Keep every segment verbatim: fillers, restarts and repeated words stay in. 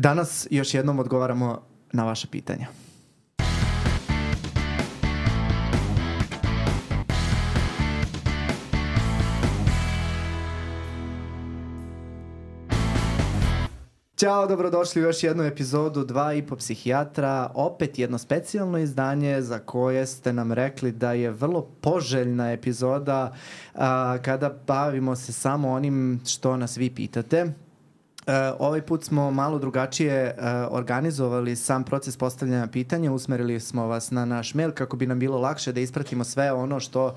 Danas još jednom odgovaramo na vaša pitanja. Ćao, dobrodošli u još jednu epizodu Dva i po psihijatra, opet jedno specijalno izdanje za koje ste nam rekli da je vrlo poželjna epizoda a, kada bavimo se samo onim što nas vi pitate. Uh, ovaj put smo malo drugačije uh, organizovali sam proces postavljanja pitanja, usmerili smo vas na naš mail kako bi nam bilo lakše da ispratimo sve ono što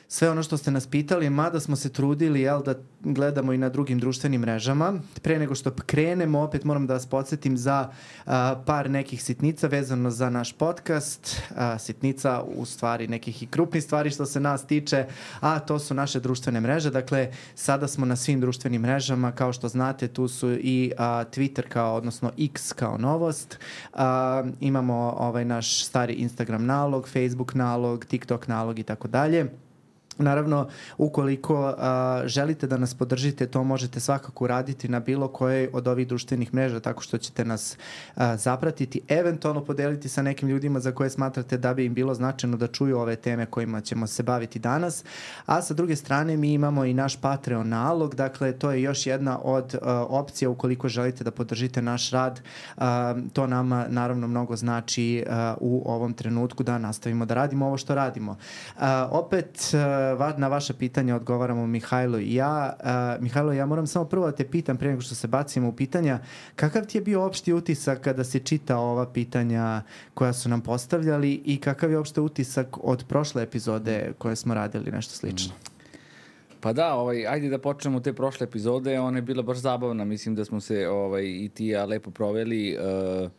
Sve ono što ste nas pitali, mada smo se trudili jel, da gledamo i na drugim društvenim mrežama. Pre nego što krenemo, opet moram da vas podsjetim za uh, par nekih sitnica vezano za naš podcast. Uh, sitnica u stvari nekih i krupnih stvari što se nas tiče, a to su naše društvene mreže. Dakle, sada smo na svim društvenim mrežama. Kao što znate, tu su i uh, Twitter kao, odnosno X kao novost. Uh, imamo ovaj naš stari Instagram nalog, Facebook nalog, TikTok nalog i tako dalje. Naravno, ukoliko a, želite da nas podržite, to možete svakako uraditi na bilo kojoj od ovih društvenih mreža, tako što ćete nas a, zapratiti, eventualno podeliti sa nekim ljudima za koje smatrate da bi im bilo značajno da čuju ove teme kojima ćemo se baviti danas. A sa druge strane, mi imamo i naš Patreon nalog, dakle, to je još jedna od a, opcija ukoliko želite da podržite naš rad. A, to nama, naravno, mnogo znači a, u ovom trenutku da nastavimo da radimo ovo što radimo. A, opet, a, na vaše pitanje odgovaramo Mihajlo i ja. Uh, Mihajlo, ja moram samo prvo da te pitam prije nego što se bacimo u pitanja, kakav ti je bio opšti utisak kada si čitao ova pitanja koja su nam postavljali i kakav je opšte utisak od prošle epizode koje smo radili, nešto slično? Pa da, ovaj, ajde da počnemo te prošle epizode, ona je bila baš zabavna, mislim da smo se ovaj, i ti ja lepo proveli uh,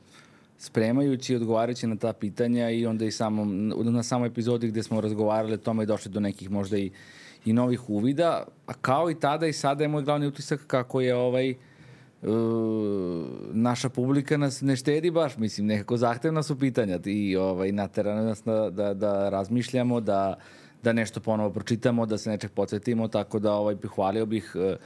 spremajući i odgovarajući na ta pitanja i onda i samom, na samoj epizodi gde smo razgovarali o tome i došli do nekih možda i, i novih uvida. A kao i tada i sada je moj glavni utisak kako je ovaj uh, naša publika nas ne štedi baš, mislim, nekako zahtevna su pitanja i ovaj, natera nas da, da, da razmišljamo, da, da nešto ponovo pročitamo, da se nečeg podsjetimo, tako da ovaj, pohvalio bih uh,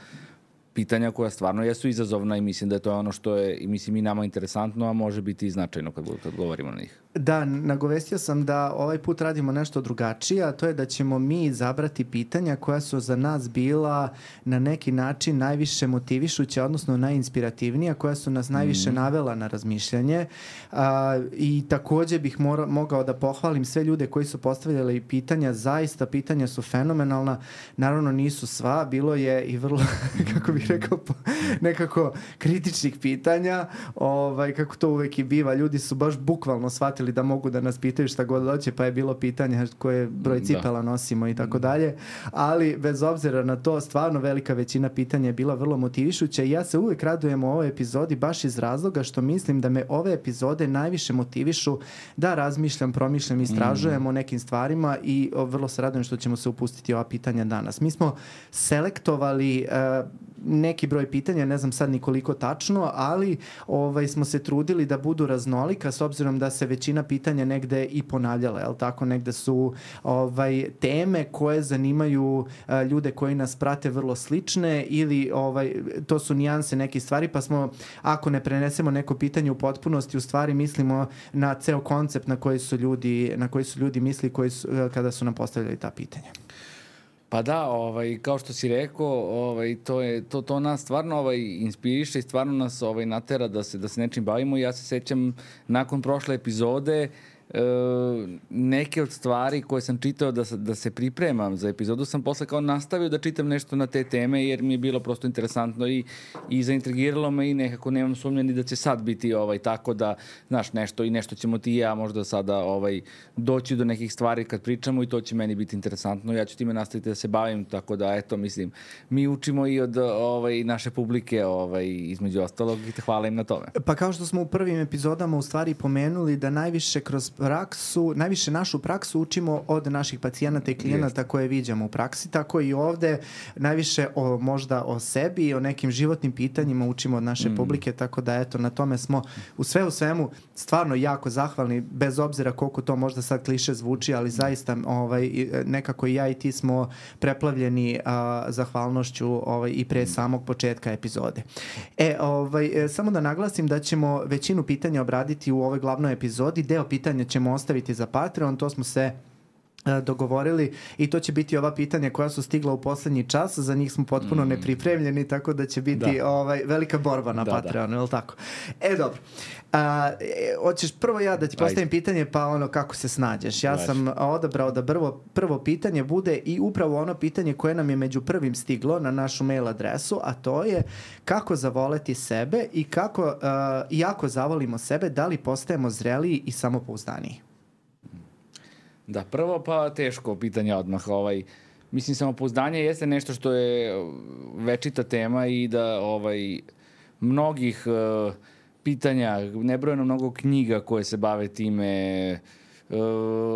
pitanja koja stvarno jesu izazovna i mislim da je to ono što je i mislim i nama interesantno, a može biti i značajno kad, kad govorimo na njih. Da, nagovestio sam da ovaj put radimo nešto drugačije, a to je da ćemo mi izabrati pitanja koja su za nas bila na neki način najviše motivišuća, odnosno najinspirativnija, koja su nas najviše mm. navela na razmišljanje. A, I takođe bih mora, mogao da pohvalim sve ljude koji su postavljali pitanja. Zaista pitanja su fenomenalna. Naravno nisu sva, bilo je i vrlo, kako bih rekao, nekako kritičnih pitanja. Ovaj, kako to uvek i biva. Ljudi su baš bukvalno shvatili da mogu da nas pitaju šta god hoće, pa je bilo pitanje koje broj cipela nosimo i tako dalje, ali bez obzira na to, stvarno velika većina pitanja je bila vrlo motivišuća i ja se uvek radujem u ovoj epizodi baš iz razloga što mislim da me ove epizode najviše motivišu da razmišljam, promišljam, istražujem mm. o nekim stvarima i vrlo se radujem što ćemo se upustiti ova pitanja danas. Mi smo selektovali uh, neki broj pitanja, ne znam sad ni koliko tačno, ali ovaj, smo se trudili da budu raznolika s obzirom da se većina pitanja negde i ponavljala, jel tako? Negde su ovaj, teme koje zanimaju uh, ljude koji nas prate vrlo slične ili ovaj, to su nijanse nekih stvari, pa smo, ako ne prenesemo neko pitanje u potpunosti, u stvari mislimo na ceo koncept na koji su ljudi, na koji su ljudi misli koji su, kada su nam postavljali ta pitanja. Pa da, ovaj, kao što si rekao, ovaj, to, je, to, to nas stvarno ovaj, inspiriše i stvarno nas ovaj, natera da se, da se nečim bavimo. Ja se sećam nakon prošle epizode e, neke od stvari koje sam čitao da, da se pripremam za epizodu sam posle kao nastavio da čitam nešto na te teme jer mi je bilo prosto interesantno i, i zaintrigiralo me i nekako nemam sumnje ni da će sad biti ovaj, tako da, znaš, nešto i nešto ćemo ti i ja možda sada ovaj, doći do nekih stvari kad pričamo i to će meni biti interesantno. Ja ću time nastaviti da se bavim, tako da, eto, mislim, mi učimo i od ovaj, naše publike ovaj, između ostalog i te hvala im na tome. Pa kao što smo u prvim epizodama u stvari pomenuli da najviše kroz praksu, najviše našu praksu učimo od naših pacijenata i klijenata koje viđamo u praksi, tako i ovde najviše o, možda o sebi i o nekim životnim pitanjima učimo od naše mm. publike, tako da eto, na tome smo u sve u svemu stvarno jako zahvalni, bez obzira koliko to možda sad kliše zvuči, ali zaista ovaj, nekako i ja i ti smo preplavljeni a, zahvalnošću ovaj, i pre samog početka epizode. E, ovaj, samo da naglasim da ćemo većinu pitanja obraditi u ovoj glavnoj epizodi, deo pitanja ćemo ostaviti za Patreon, to smo se dogovorili i to će biti ova pitanja koja su stigla u poslednji čas, za njih smo potpuno mm. nepripremljeni, tako da će biti da. ovaj, velika borba na da, Patreonu, da. Je li tako? E, dobro. A, e, hoćeš prvo ja da ti postavim Ajde. pitanje, pa ono kako se snađeš. Ja Vaš. sam odabrao da prvo, prvo pitanje bude i upravo ono pitanje koje nam je među prvim stiglo na našu mail adresu, a to je kako zavoleti sebe i kako, uh, i ako zavolimo sebe, da li postajemo zreliji i samopouzdaniji? Da, prvo pa teško pitanje odmah. Ovaj, mislim, samopouzdanje jeste nešto što je večita tema i da ovaj, mnogih uh, pitanja, nebrojeno mnogo knjiga koje se bave time, uh,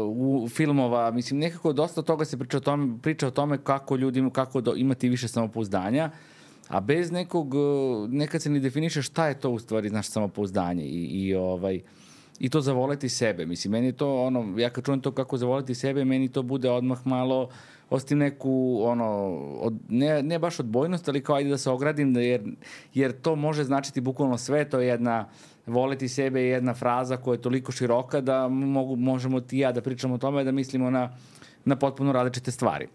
u filmova, mislim, nekako dosta toga se priča o tome, priča o tome kako ljudi, kako do, imati više samopouzdanja, a bez nekog, nekad se ni definiše šta je to u stvari naše samopouzdanje i, i ovaj... I to zavoleti sebe. Mislim, meni to, ono, ja kad čujem to kako zavoleti sebe, meni to bude odmah malo, ostim neku, ono, od, ne, ne baš odbojnost, ali kao ajde da se ogradim, da jer, jer to može značiti bukvalno sve, to je jedna, voleti sebe je jedna fraza koja je toliko široka da mogu, možemo ti ja da pričamo o tome, da mislimo na, na potpuno različite stvari.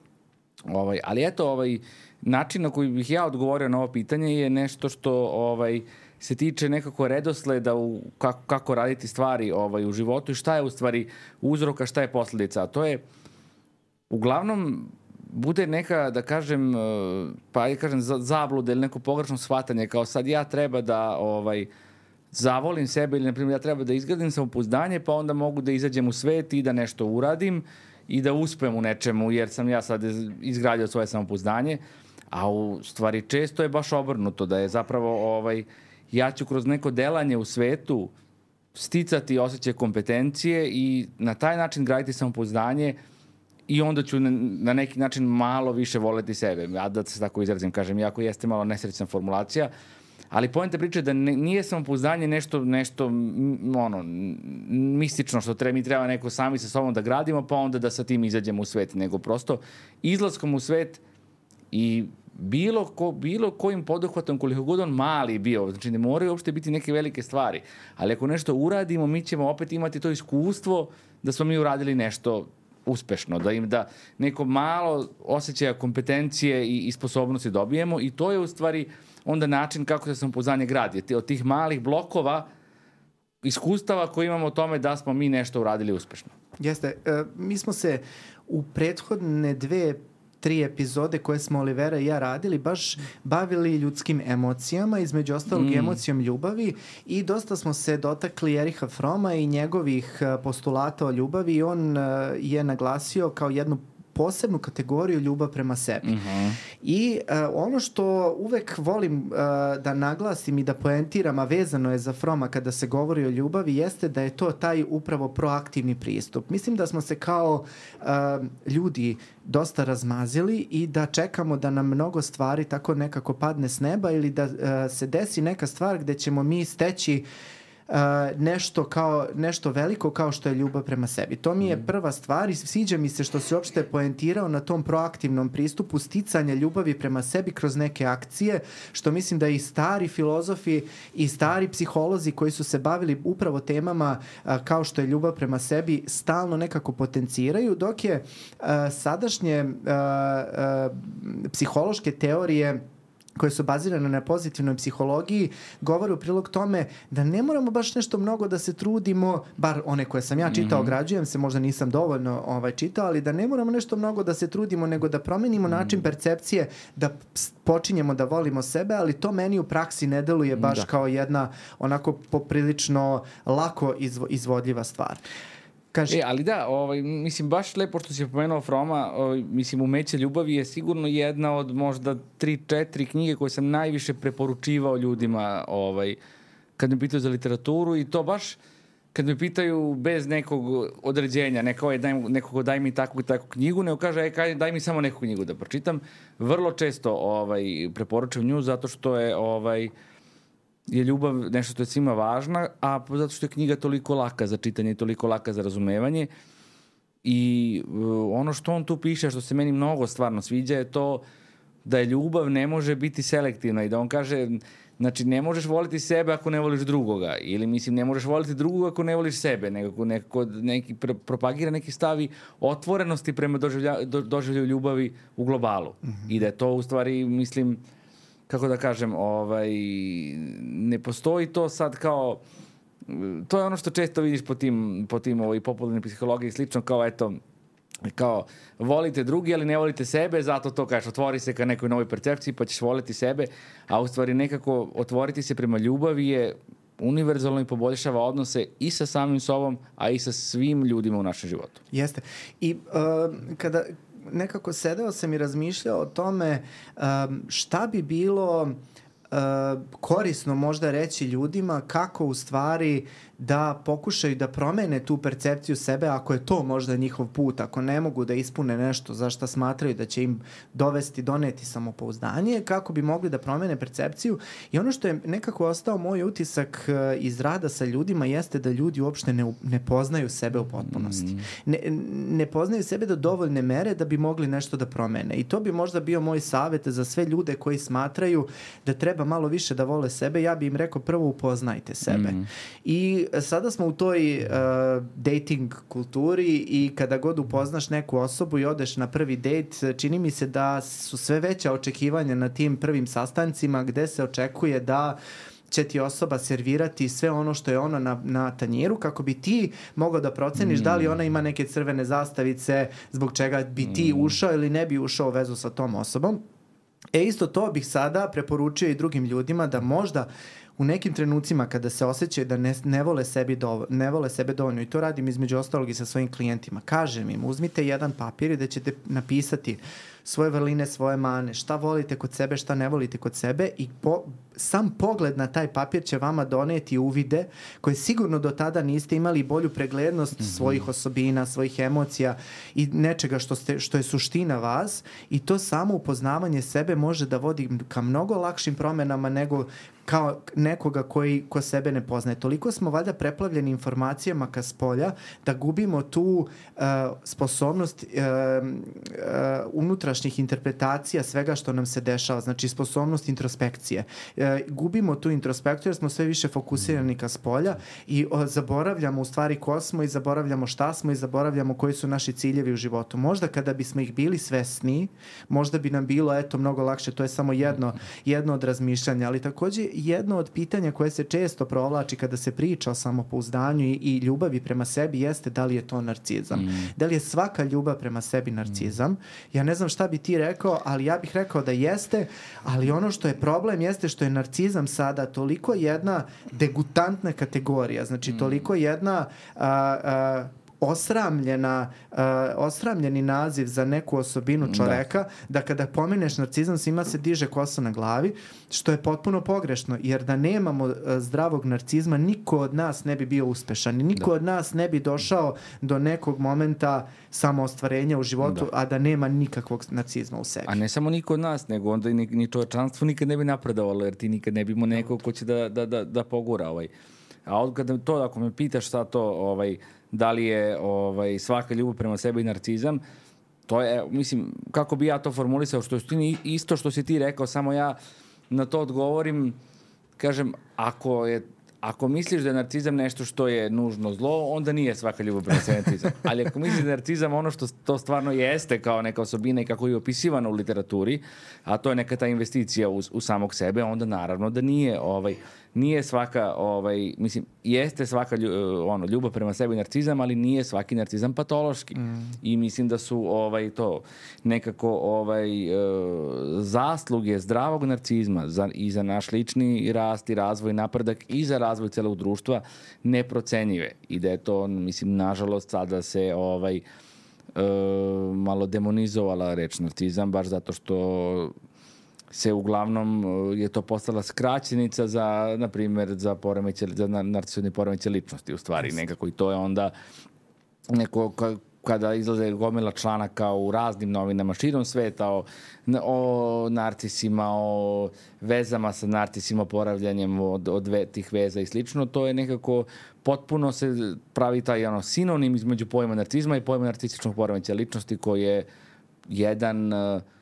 Ovaj, ali eto, ovaj, način na koji bih ja odgovorio na ovo pitanje je nešto što, ovaj, se tiče nekako redosleda u kako, kako raditi stvari ovaj, u životu i šta je u stvari uzroka, šta je posledica. A to je, uglavnom, bude neka, da kažem, pa ja kažem, zabluda ili neko pogrešno shvatanje, kao sad ja treba da ovaj, zavolim sebe ili, na primjer, ja treba da izgradim samopouzdanje, pa onda mogu da izađem u svet i da nešto uradim i da uspem u nečemu, jer sam ja sad izgradio svoje samopouzdanje. A u stvari često je baš obrnuto, da je zapravo... Ovaj, ja ću kroz neko delanje u svetu sticati osjećaj kompetencije i na taj način graditi samopouzdanje i onda ću na neki način malo više voleti sebe. Ja da se tako izrazim, kažem, iako jeste malo nesrećna formulacija, ali poenta priče je da ne, nije samopouzdanje nešto, nešto ono, mistično što treba, mi treba neko sami sa sobom da gradimo, pa onda da sa tim izađemo u svet, nego prosto izlaskom u svet i bilo, ko, bilo kojim poduhvatom, koliko god on mali bio, znači ne moraju uopšte biti neke velike stvari, ali ako nešto uradimo, mi ćemo opet imati to iskustvo da smo mi uradili nešto uspešno, da im da neko malo osjećaja kompetencije i, i sposobnosti dobijemo i to je u stvari onda način kako se samopouzdanje gradi. Od tih malih blokova iskustava koje imamo o tome da smo mi nešto uradili uspešno. Jeste. E, mi smo se u prethodne dve tri epizode koje smo Olivera i ja radili baš bavili ljudskim emocijama, između ostalog mm. emocijom ljubavi i dosta smo se dotakli Ericha Froma i njegovih postulata o ljubavi i on je naglasio kao jednu posebnu kategoriju ljubav prema sebi. Mm-hmm. I uh, ono što uvek volim uh, da naglasim i da poentiram, a vezano je za Froma kada se govori o ljubavi, jeste da je to taj upravo proaktivni pristup. Mislim da smo se kao uh, ljudi dosta razmazili i da čekamo da nam mnogo stvari tako nekako padne s neba ili da uh, se desi neka stvar gde ćemo mi steći Uh, nešto kao nešto veliko kao što je ljubav prema sebi. To mi je prva stvar i sviđa mi se što se uopšte poentirao na tom proaktivnom pristupu sticanja ljubavi prema sebi kroz neke akcije, što mislim da i stari filozofi i stari psiholozi koji su se bavili upravo temama uh, kao što je ljubav prema sebi stalno nekako potenciraju, dok je uh, sadašnje uh, uh, psihološke teorije koje su bazirane na pozitivnoj psihologiji, govore u prilog tome da ne moramo baš nešto mnogo da se trudimo, bar one koje sam ja čitao, mm-hmm. ograđujem se, možda nisam dovoljno ovaj, čitao, ali da ne moramo nešto mnogo da se trudimo, nego da promenimo mm-hmm. način percepcije, da počinjemo da volimo sebe, ali to meni u praksi ne deluje baš da. kao jedna onako poprilično lako izvo, izvodljiva stvar. Kaži. E, ali da, ovaj, mislim, baš lepo što si pomenuo Froma, ovaj, mislim, Umeće ljubavi je sigurno jedna od možda tri, četiri knjige koje sam najviše preporučivao ljudima ovaj, kad mi pitaju za literaturu i to baš kad me pitaju bez nekog određenja, neko je daj, nekog daj mi takvu i takvu knjigu, nego kaže, aj, daj mi samo neku knjigu da pročitam. Vrlo često ovaj, preporučujem nju zato što je, ovaj, je ljubav nešto što je svima važna, a zato što je knjiga toliko laka za čitanje i toliko laka za razumevanje. I uh, ono što on tu piše, što se meni mnogo stvarno sviđa, je to da je ljubav ne može biti selektivna i da on kaže, znači ne možeš voliti sebe ako ne voliš drugoga, ili mislim ne možeš voliti drugoga ako ne voliš sebe, nego neko, neki pr propagira neki stavi otvorenosti prema doživlja, do, doživlju ljubavi u globalu. Mm-hmm. I da je to u stvari, mislim, kako da kažem, ovaj, ne postoji to sad kao, to je ono što često vidiš po tim, po tim ovaj, popularnoj psihologiji i slično, kao eto, kao volite drugi, ali ne volite sebe, zato to kažeš, otvori se ka nekoj novoj percepciji pa ćeš voliti sebe, a u stvari nekako otvoriti se prema ljubavi je univerzalno i poboljšava odnose i sa samim sobom, a i sa svim ljudima u našem životu. Jeste. I uh, kada nekako sedeo sam i razmišljao o tome um, šta bi bilo uh, korisno možda reći ljudima kako u stvari da pokušaju da promene tu percepciju sebe ako je to možda njihov put, ako ne mogu da ispune nešto za šta smatraju da će im dovesti, doneti samopouzdanje, kako bi mogli da promene percepciju. I ono što je nekako ostao moj utisak iz rada sa ljudima jeste da ljudi uopšte ne, ne poznaju sebe u potpunosti. Ne, ne poznaju sebe do dovoljne mere da bi mogli nešto da promene. I to bi možda bio moj savjet za sve ljude koji smatraju da treba malo više da vole sebe. Ja bi im rekao, prvo upoznajte sebe. Mm. I sada smo u toj uh, dating kulturi i kada god upoznaš neku osobu i odeš na prvi dejt, čini mi se da su sve veća očekivanja na tim prvim sastancima gde se očekuje da će ti osoba servirati sve ono što je ona na, na tanjiru kako bi ti mogao da proceniš mm. da li ona ima neke crvene zastavice zbog čega bi ti ušao ili ne bi ušao u vezu sa tom osobom. E isto to bih sada preporučio i drugim ljudima da možda u nekim trenucima kada se osjećaju da ne, ne, vole sebi dovo, ne vole sebe dovoljno, i to radim između ostalog i sa svojim klijentima, kažem im, uzmite jedan papir i da ćete napisati svoje vrline, svoje mane, šta volite kod sebe, šta ne volite kod sebe i po, sam pogled na taj papir će vama doneti uvide koje sigurno do tada niste imali bolju preglednost mm-hmm. svojih osobina, svojih emocija i nečega što, ste, što je suština vas i to samo upoznavanje sebe može da vodi ka mnogo lakšim promenama nego kao nekoga koji ko sebe ne poznaje. Toliko smo valjda preplavljeni informacijama ka spolja da gubimo tu uh, sposobnost uh, uh, unutrašnjih interpretacija svega što nam se dešava, znači sposobnost introspekcije. Uh, gubimo tu introspekciju jer smo sve više fokusirani ka spolja i uh, zaboravljamo u stvari ko smo i zaboravljamo šta smo i zaboravljamo koji su naši ciljevi u životu. Možda kada bismo ih bili svesni, možda bi nam bilo eto mnogo lakše, to je samo jedno, jedno od razmišljanja, ali takođe jedno od pitanja koje se često provlači kada se priča o samopouzdanju i, i ljubavi prema sebi jeste da li je to narcizam. Mm. Da li je svaka ljubav prema sebi narcizam? Mm. Ja ne znam šta bi ti rekao, ali ja bih rekao da jeste, ali ono što je problem jeste što je narcizam sada toliko jedna degutantna kategorija, znači mm. toliko jedna a, a, osramljena, uh, osramljeni naziv za neku osobinu čoveka, da. da kada pomeneš narcizam svima se diže kosa na glavi, što je potpuno pogrešno, jer da nemamo uh, zdravog narcizma, niko od nas ne bi bio uspešan, niko da. od nas ne bi došao do nekog momenta samoostvarenja u životu, da. a da nema nikakvog narcizma u sebi. A ne samo niko od nas, nego onda ni, ni čovečanstvo nikad ne bi napredovalo, jer ti nikad ne bi imao nekog ko će da, da, da, da pogura ovaj. A od kada to, ako me pitaš šta to, ovaj, da li je ovaj, svaka ljubav prema sebi i narcizam, to je, mislim, kako bi ja to formulisao, što je isto što si ti rekao, samo ja na to odgovorim, kažem, ako je ako misliš da je narcizam nešto što je nužno zlo, onda nije svaka ljubav prema sebi narcizam. Ali ako misliš da je narcizam ono što to stvarno jeste kao neka osobina i kako je opisivano u literaturi, a to je neka ta investicija u, u samog sebe, onda naravno da nije ovaj nije svaka ovaj mislim jeste svaka ljubav, ono ljubav prema sebi narcizam, ali nije svaki narcizam patološki. Mm. I mislim da su ovaj to nekako ovaj e, zasluge zdravog narcizma za i za naš lični rast i razvoj, napredak i za razvoj celog društva neprocenjive. I da je to, mislim, nažalost sada se ovaj e, malo demonizovala reč narcizam baš zato što se uglavnom je to postala skraćenica za, na primjer, za poremeće, za narcisoidne poremeće ličnosti u stvari yes. nekako i to je onda neko ka, kada izlaze gomila članaka u raznim novinama širom sveta o, o narcisima, o vezama sa narcisima, oporavljanjem od, od ve, tih veza i slično, to je nekako potpuno se pravi taj ono, sinonim između pojma narcizma i pojma narcističnog poremeća ličnosti koji je jedan...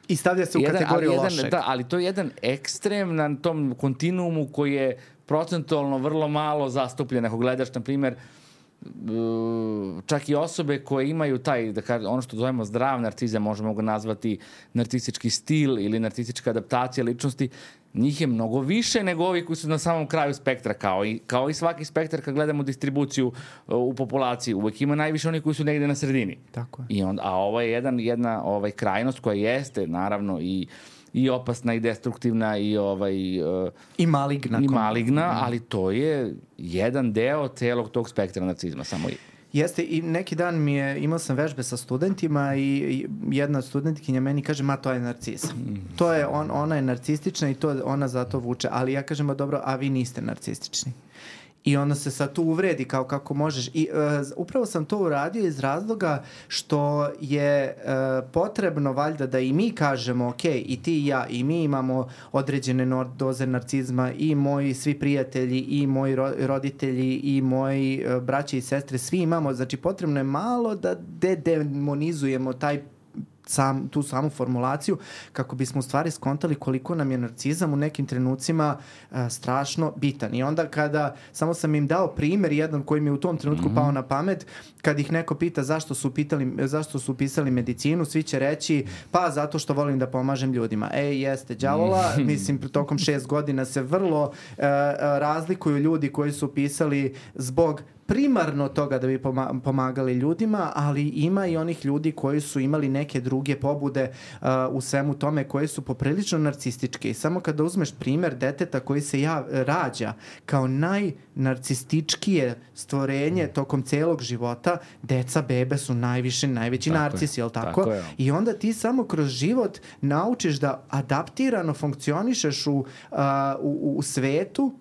I stavlja se u jedan, kategoriju jedan, lošeg. Da, ali to je jedan ekstrem na tom kontinuumu koji je procentualno vrlo malo zastupljen. Ako gledaš, na primjer, čak i osobe koje imaju taj, da kažem, ono što zovemo zdrav narcizam, možemo ga nazvati narcistički stil ili narcistička adaptacija ličnosti, njih je mnogo više nego ovi koji su na samom kraju spektra, kao i, kao i svaki spektar kad gledamo distribuciju u populaciji, uvek ima najviše oni koji su negde na sredini. Tako je. I onda, a ovo je jedan, jedna ovaj, krajnost koja jeste, naravno, i i opasna i destruktivna i ovaj uh, i maligna i maligna, mm. ali to je jedan deo celog tog spektra narcizma samo i Jeste, i neki dan mi je, imao sam vežbe sa studentima i, i jedna od studentkinja meni kaže, ma to je narcizam. Mm. To je, on, ona je narcistična i to ona zato vuče, ali ja kažem, dobro, a vi niste narcistični. I onda se sad tu uvredi kao kako možeš. I uh, upravo sam to uradio iz razloga što je uh, potrebno valjda da i mi kažemo, ok, i ti i ja, i mi imamo određene no- doze narcizma, i moji svi prijatelji, i moji ro- roditelji, i moji uh, braće i sestre, svi imamo. Znači, potrebno je malo da dedemonizujemo taj Sam, tu samu formulaciju kako bismo u stvari skontali koliko nam je narcizam u nekim trenucima uh, strašno bitan. I onda kada, samo sam im dao primjer jedan koji mi je u tom trenutku mm-hmm. pao na pamet, kad ih neko pita zašto su, pitali, zašto su upisali medicinu, svi će reći pa zato što volim da pomažem ljudima. Ej, jeste, đavola, mm-hmm. mislim, tokom šest godina se vrlo uh, razlikuju ljudi koji su upisali zbog primarno toga da bi pomagali ljudima, ali ima i onih ljudi koji su imali neke druge pobude uh, u svemu tome, koje su poprilično narcističke. I samo kada uzmeš primjer deteta koji se ja, rađa kao najnarcističkije stvorenje tokom celog života, deca, bebe su najviše, najveći tako narcisi, je li tako? tako je. I onda ti samo kroz život naučiš da adaptirano funkcionišeš u, uh, u, u svetu,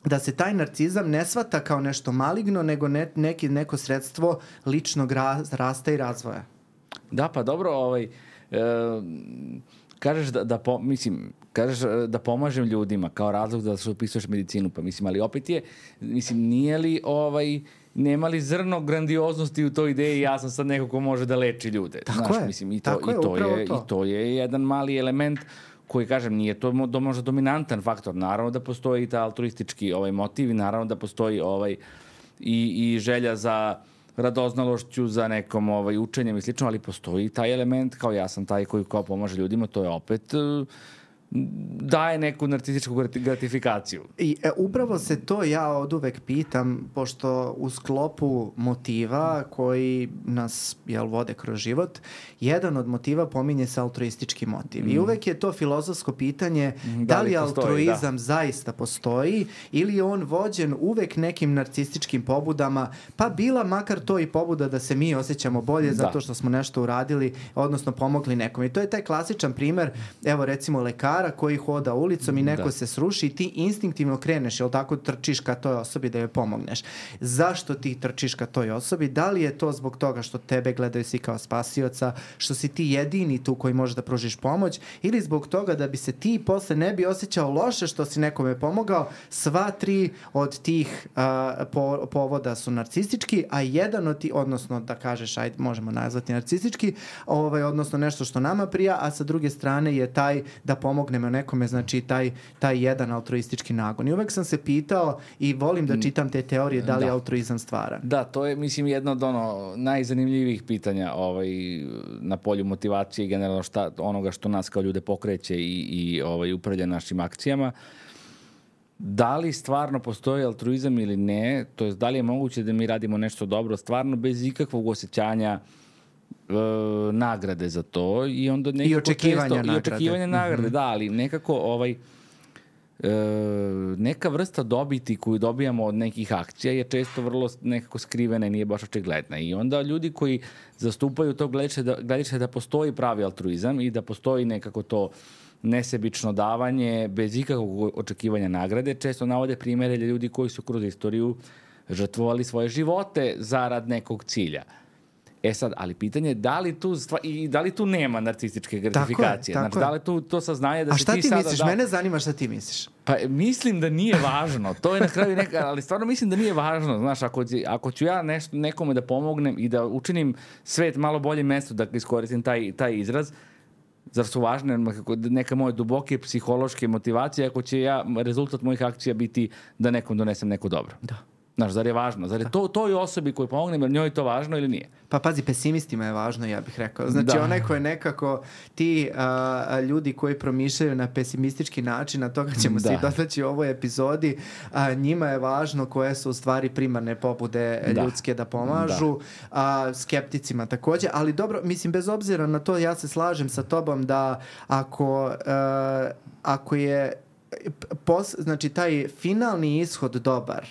da se taj narcizam ne shvata kao nešto maligno, nego ne, neki, neko sredstvo ličnog rasta i razvoja. Da, pa dobro, ovaj, e, kažeš da, da, po, mislim, kažeš da pomažem ljudima kao razlog da se upisuješ medicinu, pa mislim, ali opet je, mislim, nije li ovaj, nema li zrno grandioznosti u toj ideji, ja sam sad neko ko može da leči ljude. Tako Znaš, je, mislim, i to, tako i to je, je, to. I to je jedan mali element koji, kažem, nije to možda dominantan faktor. Naravno da postoji i ta altruistički ovaj motiv i naravno da postoji ovaj i, i želja za radoznalošću, za nekom ovaj, učenjem i slično, ali postoji taj element kao ja sam taj koji kao pomaže ljudima, to je opet daje neku narcističku gratifikaciju. I e, upravo se to ja od uvek pitam, pošto u sklopu motiva koji nas jel, vode kroz život, jedan od motiva pominje se altruistički motiv. Mm. I uvek je to filozofsko pitanje da, da li, li postoji, altruizam da. zaista postoji ili je on vođen uvek nekim narcističkim pobudama, pa bila makar to i pobuda da se mi osjećamo bolje da. zato što smo nešto uradili, odnosno pomogli nekom. I to je taj klasičan primer, evo recimo lekara koji hoda ulicom i neko da. se sruši i ti instinktivno kreneš, jel tako, trčiš ka toj osobi da joj pomogneš. Zašto ti trčiš ka toj osobi? Da li je to zbog toga što tebe gledaju svi kao spasioca, što si ti jedini tu koji može da pružiš pomoć, ili zbog toga da bi se ti posle ne bi osjećao loše što si nekome pomogao? Sva tri od tih uh, po, povoda su narcistički, a jedan od ti, odnosno da kažeš, ajde, možemo nazvati narcistički, ovaj, odnosno nešto što nama prija, a sa druge strane je taj da pomognemo nekome, znači taj, taj jedan altruistički nagon. I uvek sam se pitao i volim da čitam te teorije da li da. altruizam stvara. Da, to je, mislim, jedno od ono najzanimljivijih pitanja ovaj, na polju motivacije i generalno šta, onoga što nas kao ljude pokreće i, i ovaj, upravlja našim akcijama. Da li stvarno postoji altruizam ili ne, to je da li je moguće da mi radimo nešto dobro stvarno bez ikakvog osjećanja e, nagrade za to i onda nekako i očekivanja često, nagrade. I očekivanja nagrade, mm-hmm. da, ali nekako ovaj e, neka vrsta dobiti koju dobijamo od nekih akcija je često vrlo nekako skrivena i nije baš očigledna. I onda ljudi koji zastupaju to gledište da, gledište da postoji pravi altruizam i da postoji nekako to nesebično davanje, bez ikakvog očekivanja nagrade. Često navode primere ljudi koji su kroz istoriju žrtvovali svoje živote zarad nekog cilja. E sad, ali pitanje je da li tu, stva, i da li tu nema narcističke gratifikacije? Tako je, tako znači, da li tu to saznanje da A se šta ti, ti sada misliš? Da... Mene zanima šta ti misliš. Pa mislim da nije važno. To je na kraju neka, ali stvarno mislim da nije važno. Znaš, ako, ako ću ja nešto, nekome da pomognem i da učinim svet malo bolje mesto, da iskoristim taj, taj izraz, zar su važne neka moje duboke psihološke motivacije ako će ja, rezultat mojih akcija biti da nekom donesem neko dobro? Da. Znaš, zar je važno? Zar je to toj osobi koju pomognem, jer njoj je to važno ili nije? Pa pazi, pesimistima je važno, ja bih rekao. Znači, da. onaj ko je nekako ti a, ljudi koji promišljaju na pesimistički način, a toga ćemo da. svi dotaći u ovoj epizodi, a, njima je važno koje su u stvari primarne pobude da. ljudske da pomažu, da. A, skepticima takođe, ali dobro, mislim, bez obzira na to, ja se slažem sa tobom da ako, a, ako je pos, znači taj finalni ishod dobar,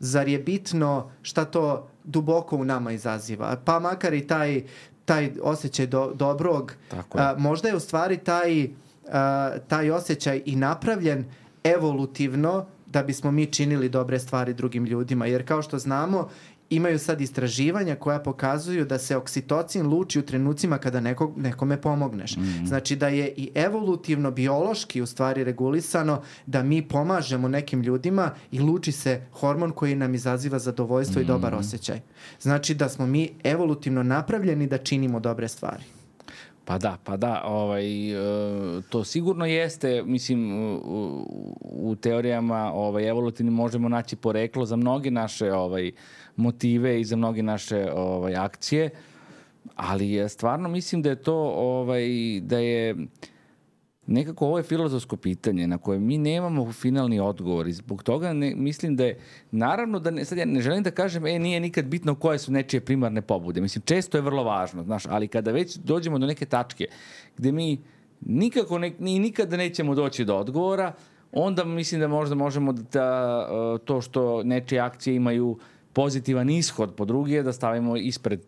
zar je bitno šta to duboko u nama izaziva? Pa makar i taj, taj osjećaj do, dobrog, a, možda je u stvari taj, a, taj osjećaj i napravljen evolutivno da bismo mi činili dobre stvari drugim ljudima. Jer kao što znamo, imaju sad istraživanja koja pokazuju da se oksitocin luči u trenucima kada nekog, nekome pomogneš. Mm-hmm. Znači da je i evolutivno, biološki u stvari regulisano da mi pomažemo nekim ljudima i luči se hormon koji nam izaziva zadovoljstvo mm-hmm. i dobar osjećaj. Znači da smo mi evolutivno napravljeni da činimo dobre stvari. Pa da, pa da, ovaj, to sigurno jeste, mislim, u, u teorijama ovaj, evolutivni možemo naći poreklo za mnoge naše ovaj, motive i za mnoge naše ovaj, akcije, ali stvarno mislim da je to, ovaj, da je nekako ovo je filozofsko pitanje na koje mi nemamo finalni odgovor i zbog toga ne, mislim da je, naravno da ne, sad ja ne želim da kažem, e, nije nikad bitno koje su nečije primarne pobude. Mislim, često je vrlo važno, znaš, ali kada već dođemo do neke tačke gde mi nikako ne, ni nikada nećemo doći do odgovora, onda mislim da možda možemo da to što nečije akcije imaju pozitivan ishod po druge, da stavimo ispred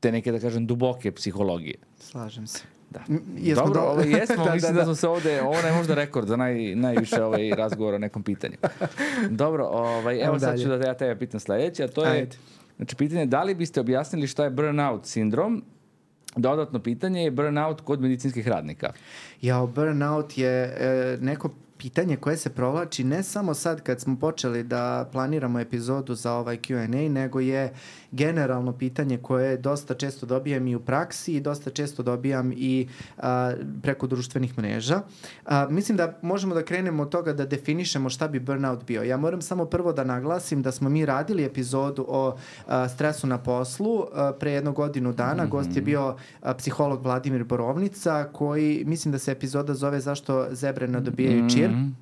te neke, da kažem, duboke psihologije. Slažem se. Da. Jesmo Dobro, do... ovo jesmo, da, mislim da, da. da smo se ovde, ovo je možda rekord za naj, najviše ovaj razgovor o nekom pitanju. Dobro, ovaj, evo, evo sad ću da ja tebe pitam sledeće, a to je, Ajde. znači, pitanje da li biste objasnili šta je burnout sindrom? Dodatno pitanje je burnout kod medicinskih radnika. Jao, burnout je e, neko pitanje koje se provlači ne samo sad kad smo počeli da planiramo epizodu za ovaj Q and A, nego je generalno pitanje koje dosta često dobijam i u praksi i dosta često dobijam i a, preko društvenih mreža. A, mislim da možemo da krenemo od toga da definišemo šta bi burnout bio. Ja moram samo prvo da naglasim da smo mi radili epizodu o a, stresu na poslu a, pre jednu godinu dana. Mm-hmm. Gost je bio a, psiholog Vladimir Borovnica koji, mislim da se epizoda zove Zašto zebre ne dobijaju čir. Mm-hmm.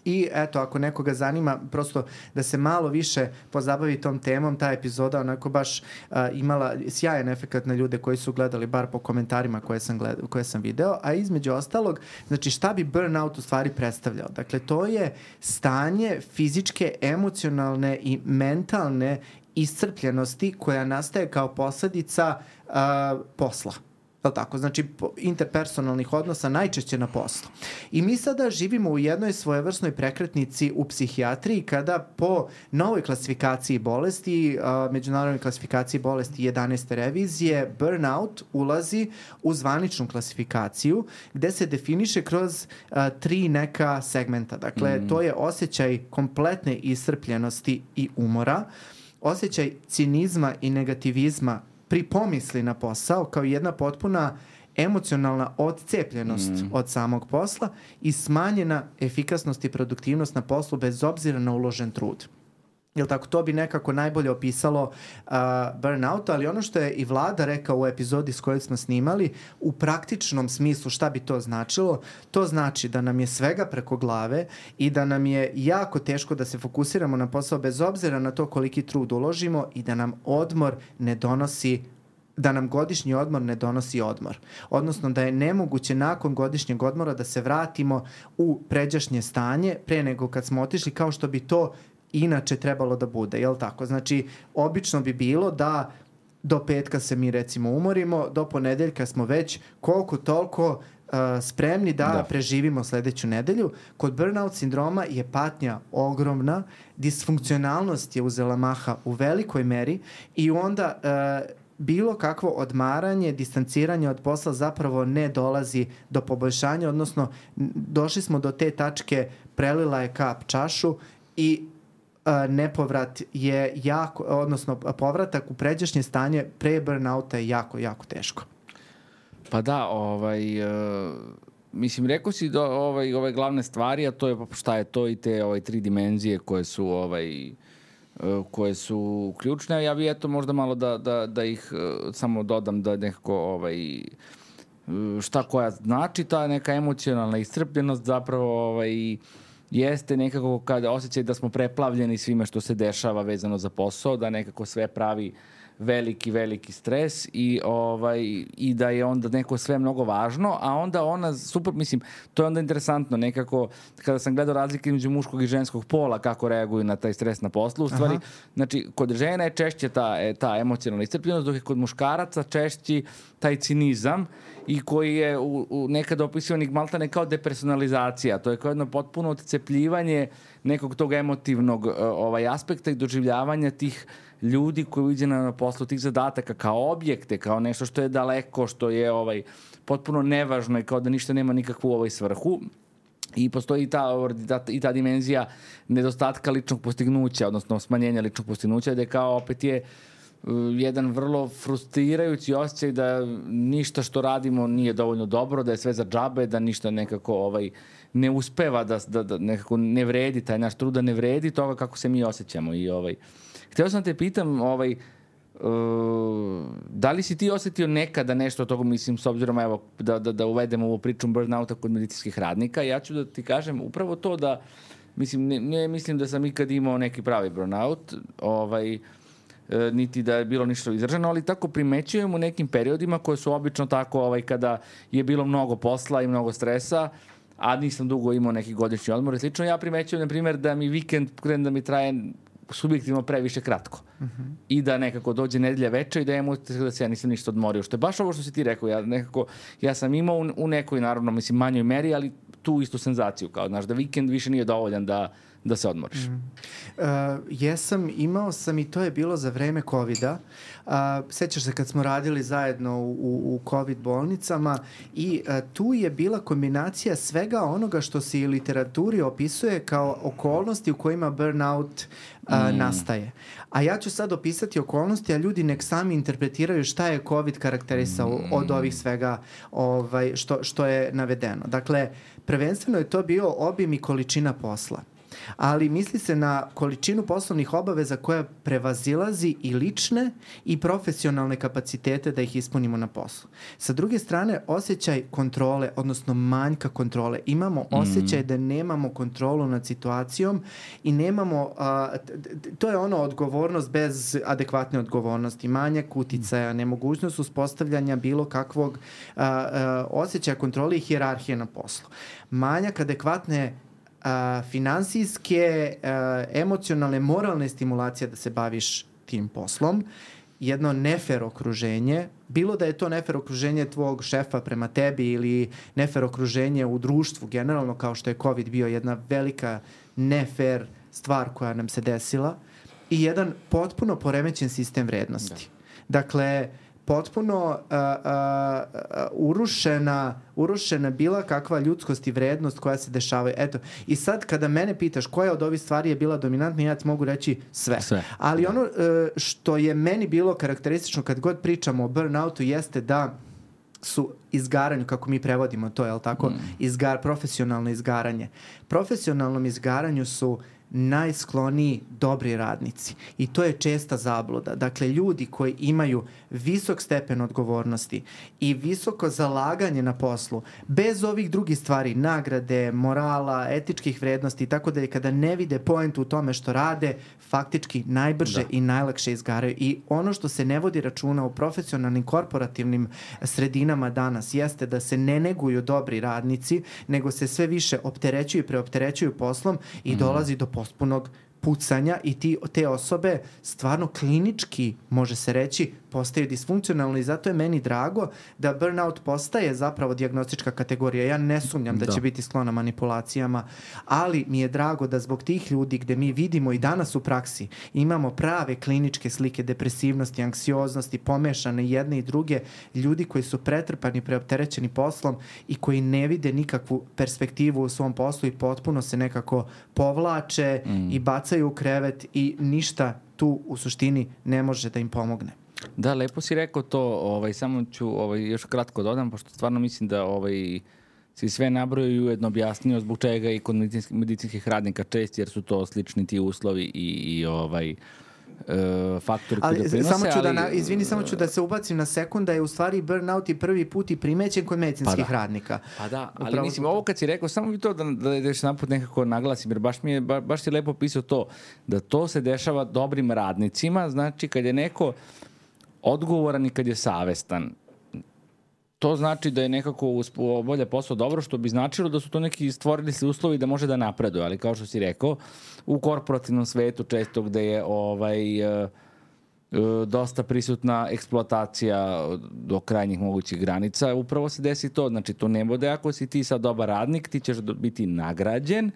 I eto, ako nekoga zanima, prosto da se malo više pozabavi tom temom, ta epizoda onako baš uh, imala sjajan efekat na ljude koji su gledali, bar po komentarima koje sam, gled, koje sam video, a između ostalog, znači šta bi burnout u stvari predstavljao? Dakle, to je stanje fizičke, emocionalne i mentalne iscrpljenosti koja nastaje kao posledica uh, posla. Je tako? Znači, interpersonalnih odnosa najčešće na poslu. I mi sada živimo u jednoj svojevrsnoj prekretnici u psihijatriji kada po novoj klasifikaciji bolesti, uh, međunarodnoj klasifikaciji bolesti jedanaeste revizije, burnout ulazi u zvaničnu klasifikaciju gde se definiše kroz uh, tri neka segmenta. Dakle, mm. to je osjećaj kompletne iscrpljenosti i umora, osjećaj cinizma i negativizma pri pomisli na posao kao jedna potpuna emocionalna odcepljenost mm. od samog posla i smanjena efikasnost i produktivnost na poslu bez obzira na uložen trud. Jel tako, to bi nekako najbolje opisalo uh, burnout, ali ono što je i Vlada rekao u epizodi s kojoj smo snimali, u praktičnom smislu šta bi to značilo? To znači da nam je svega preko glave i da nam je jako teško da se fokusiramo na posao bez obzira na to koliki trud uložimo i da nam odmor ne donosi da nam godišnji odmor ne donosi odmor. Odnosno da je nemoguće nakon godišnjeg odmora da se vratimo u pređašnje stanje pre nego kad smo otišli, kao što bi to inače trebalo da bude, jel tako? Znači, obično bi bilo da do petka se mi recimo umorimo, do ponedeljka smo već koliko toliko uh, spremni da, da preživimo sledeću nedelju. Kod burnout sindroma je patnja ogromna, disfunkcionalnost je uzela maha u velikoj meri i onda uh, bilo kakvo odmaranje, distanciranje od posla zapravo ne dolazi do poboljšanja, odnosno došli smo do te tačke, prelila je kap čašu i a, nepovrat je jako, odnosno povratak u pređašnje stanje pre burnouta je jako, jako teško. Pa da, ovaj, uh, mislim, rekao si do, ovaj, ove glavne stvari, a to je šta je to i te ovaj, tri dimenzije koje su ovaj, koje su ključne. Ja bih eto možda malo da, da, da ih uh, samo dodam da nekako ovaj, šta koja znači ta neka emocionalna iscrpljenost zapravo ovaj, jeste nekako kada osjećaj da smo preplavljeni svime što se dešava vezano za posao, da nekako sve pravi veliki, veliki stres i, ovaj, i da je onda neko sve mnogo važno, a onda ona, super, mislim, to je onda interesantno, nekako, kada sam gledao razlike između muškog i ženskog pola, kako reaguju na taj stres na poslu, u stvari, aha, znači, kod žena je češće ta, ta emocionalna iscrpljenost, dok je kod muškaraca češći taj cinizam i koji je u, u nekada opisivanih maltane kao depersonalizacija, to je kao jedno potpuno odcepljivanje nekog tog emotivnog uh, ovaj aspekta i doživljavanja tih ljudi koji uđe na poslu tih zadataka kao objekte, kao nešto što je daleko, što je ovaj potpuno nevažno i kao da ništa nema nikakvu ovaj svrhu. I postoji i ta, i ta dimenzija nedostatka ličnog postignuća, odnosno smanjenja ličnog postignuća, da je kao opet je jedan vrlo frustrirajući osjećaj da ništa što radimo nije dovoljno dobro, da je sve za džabe, da ništa nekako ovaj ne uspeva, da, da, da nekako ne vredi, taj naš trud da ne vredi toga kako se mi osjećamo. I ovaj hteo sam te pitam, ovaj, uh, da li si ti osetio nekada nešto od toga, mislim, s obzirom, evo, da, da, da uvedemo ovu priču burnouta kod medicinskih radnika, ja ću da ti kažem upravo to da, mislim, ne, ne mislim da sam ikad imao neki pravi burnout, ovaj, e, niti da je bilo ništa izraženo, ali tako primećujem u nekim periodima koje su obično tako, ovaj, kada je bilo mnogo posla i mnogo stresa, a nisam dugo imao neki godišnji odmor i slično, ja primećujem, na primjer, da mi vikend krene da mi traje subjektivno previše kratko. Uh-huh. I da nekako dođe nedelja veče i da imam da se ja nisam ništa odmorio. Što je baš ovo što si ti rekao. Ja, nekako, ja sam imao u, u nekoj, naravno, mislim, manjoj meri, ali tu istu senzaciju. Kao, znaš, da vikend više nije dovoljan da, da se odmoriš. Mm. Uh, jesam, imao sam i to je bilo za vreme kovida. Uh, sećaš se kad smo radili zajedno u, u COVID bolnicama i uh, tu je bila kombinacija svega onoga što se i literaturi opisuje kao okolnosti u kojima burnout uh, mm. nastaje. A ja ću sad opisati okolnosti, a ljudi nek sami interpretiraju šta je COVID karakterisao mm. od ovih svega ovaj, što, što je navedeno. Dakle, prvenstveno je to bio obim i količina posla. Ali misli se na količinu poslovnih obaveza koja prevazilazi i lične i profesionalne kapacitete da ih ispunimo na poslu. Sa druge strane, osjećaj kontrole, odnosno manjka kontrole. Imamo osjećaj mm. da nemamo kontrolu nad situacijom i nemamo, a, to je ono odgovornost bez adekvatne odgovornosti, manjak uticaja, nemogućnost uspostavljanja bilo kakvog a, a, osjećaja kontrole i hijerarhije na poslu. Manjak adekvatne Uh, finansijske, uh, emocionalne, moralne stimulacije da se baviš tim poslom, jedno nefer okruženje, bilo da je to nefer okruženje tvog šefa prema tebi ili nefer okruženje u društvu generalno, kao što je COVID bio jedna velika nefer stvar koja nam se desila, i jedan potpuno poremećen sistem vrednosti. Da. Dakle, potpuno uh, uh, urušena, urušena bila kakva ljudskost i vrednost koja se dešavaju. Eto, i sad kada mene pitaš koja od ovih stvari je bila dominantna, ja ti mogu reći sve. sve. Ali da. ono uh, što je meni bilo karakteristično kad god pričamo o burnoutu jeste da su izgaranju, kako mi prevodimo to, je li tako? Mm. Izgar, profesionalno izgaranje. Profesionalnom izgaranju su najskloniji dobri radnici. I to je česta zabluda. Dakle, ljudi koji imaju visok stepen odgovornosti i visoko zalaganje na poslu, bez ovih drugih stvari, nagrade, morala, etičkih vrednosti i tako da je kada ne vide poentu u tome što rade, faktički najbrže da. i najlakše izgaraju. I ono što se ne vodi računa u profesionalnim korporativnim sredinama danas jeste da se ne neguju dobri radnici, nego se sve više opterećuju i preopterećuju poslom i mm. dolazi do potpunog pucanja i ti, te osobe stvarno klinički, može se reći, postaju disfunkcionalni i zato je meni drago da burnout postaje zapravo dijagnostička kategorija. Ja ne sumnjam da, da će biti sklona manipulacijama, ali mi je drago da zbog tih ljudi gde mi vidimo i danas u praksi imamo prave kliničke slike depresivnosti, anksioznosti, pomešane jedne i druge, ljudi koji su pretrpani, preopterećeni poslom i koji ne vide nikakvu perspektivu u svom poslu i potpuno se nekako povlače mm. i bacaju u krevet i ništa tu u suštini ne može da im pomogne. Da, lepo si rekao to, ovaj, samo ću ovaj, još kratko dodam, pošto stvarno mislim da ovaj, si sve nabrojio i ujedno objasnio zbog čega i kod medicinskih, medicinskih radnika čest, jer su to slični ti uslovi i, i ovaj, Uh, faktori koji doprinose. Samo ću da, na, izvini, samo ću da se ubacim na sekund da je u stvari burnout i prvi put i primećen kod medicinskih pa da. radnika. Pa da, ali Upravo mislim, ovo kad si rekao, samo bi to da, da, da još naput nekako naglasim, jer baš mi je, ba, baš si lepo pisao to, da to se dešava dobrim radnicima, znači kad je neko odgovoran i kad je savestan. To znači da je nekako bolje posao dobro, što bi značilo da su to neki stvorili se uslovi da može da napreduje, ali kao što si rekao, u korporativnom svetu često gde je ovaj, uh, uh, dosta prisutna eksploatacija do krajnjih mogućih granica, upravo se desi to, znači to ne bude ako si ti sad dobar radnik, ti ćeš biti nagrađen,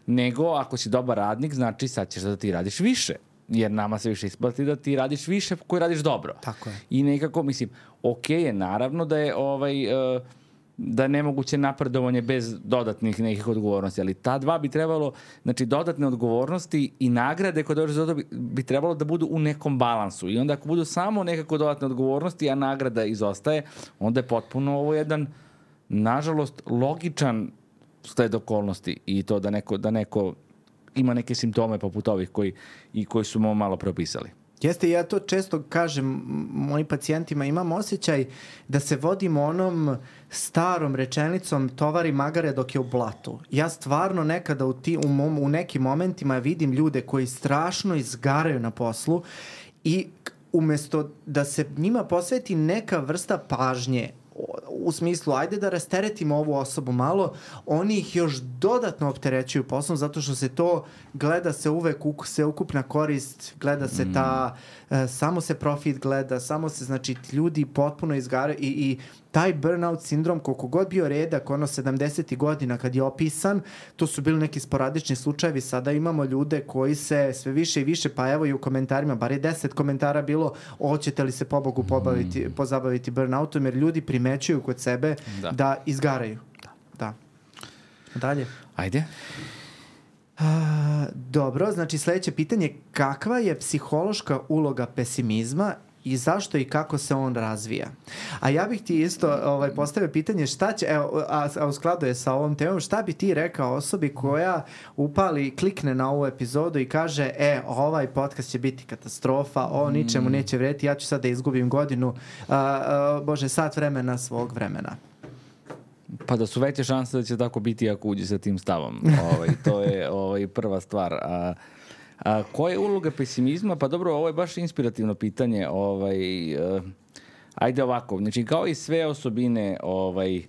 nego ako si dobar radnik, znači sad ćeš da ti radiš više. Jer nama se više isplati da ti radiš više koji radiš dobro. Tako je. I nekako, mislim, okej je naravno da je ovaj, uh, da je nemoguće napredovanje bez dodatnih nekih odgovornosti, ali ta dva bi trebalo, znači dodatne odgovornosti i nagrade koje dođe za to bi, bi trebalo da budu u nekom balansu. I onda ako budu samo nekako dodatne odgovornosti, a nagrada izostaje, onda je potpuno ovo jedan, nažalost, logičan sled okolnosti i to da neko, da neko ima neke simptome poput ovih koji, i koji su mu malo propisali. Jeste, ja to često kažem mojim pacijentima, imam osjećaj da se vodimo onom starom rečenicom tovari magare dok je u blatu. Ja stvarno nekada u, ti, u, mom, u nekim momentima vidim ljude koji strašno izgaraju na poslu i umesto da se njima posveti neka vrsta pažnje, u smislu, ajde da rasteretimo ovu osobu malo, oni ih još dodatno opterećuju poslom zato što se to gleda se uvek se ukupna korist, gleda se ta, mm. uh, samo se profit gleda, samo se, znači, ljudi potpuno izgaraju i, i taj burnout sindrom, koliko god bio redak, ono sedamdesetih godina kad je opisan, to su bili neki sporadični slučajevi, sada imamo ljude koji se sve više i više, pa evo i u komentarima, bar je deset komentara bilo, hoćete li se pobogu pobaviti, mm. pozabaviti burnoutom, jer ljudi primećuju kod sebe da, da izgaraju. Da. da. Dalje. Ajde. A, dobro, znači sledeće pitanje, kakva je psihološka uloga pesimizma i zašto i kako se on razvija? A ja bih ti isto ovaj, postavio pitanje šta će, evo, a, a u skladu je sa ovom temom, šta bi ti rekao osobi koja upali, klikne na ovu epizodu i kaže, e, ovaj podcast će biti katastrofa, ovo ničemu neće vrediti, ja ću sad da izgubim godinu, a, a, bože, sat vremena svog vremena. Pa da su veće šanse da će tako biti ako uđe sa tim stavom. Ovaj, to je ovaj, prva stvar. A, a koja je uloga pesimizma? Pa dobro, ovo je baš inspirativno pitanje. Ovaj, uh, ajde ovako, znači kao i sve osobine ovaj,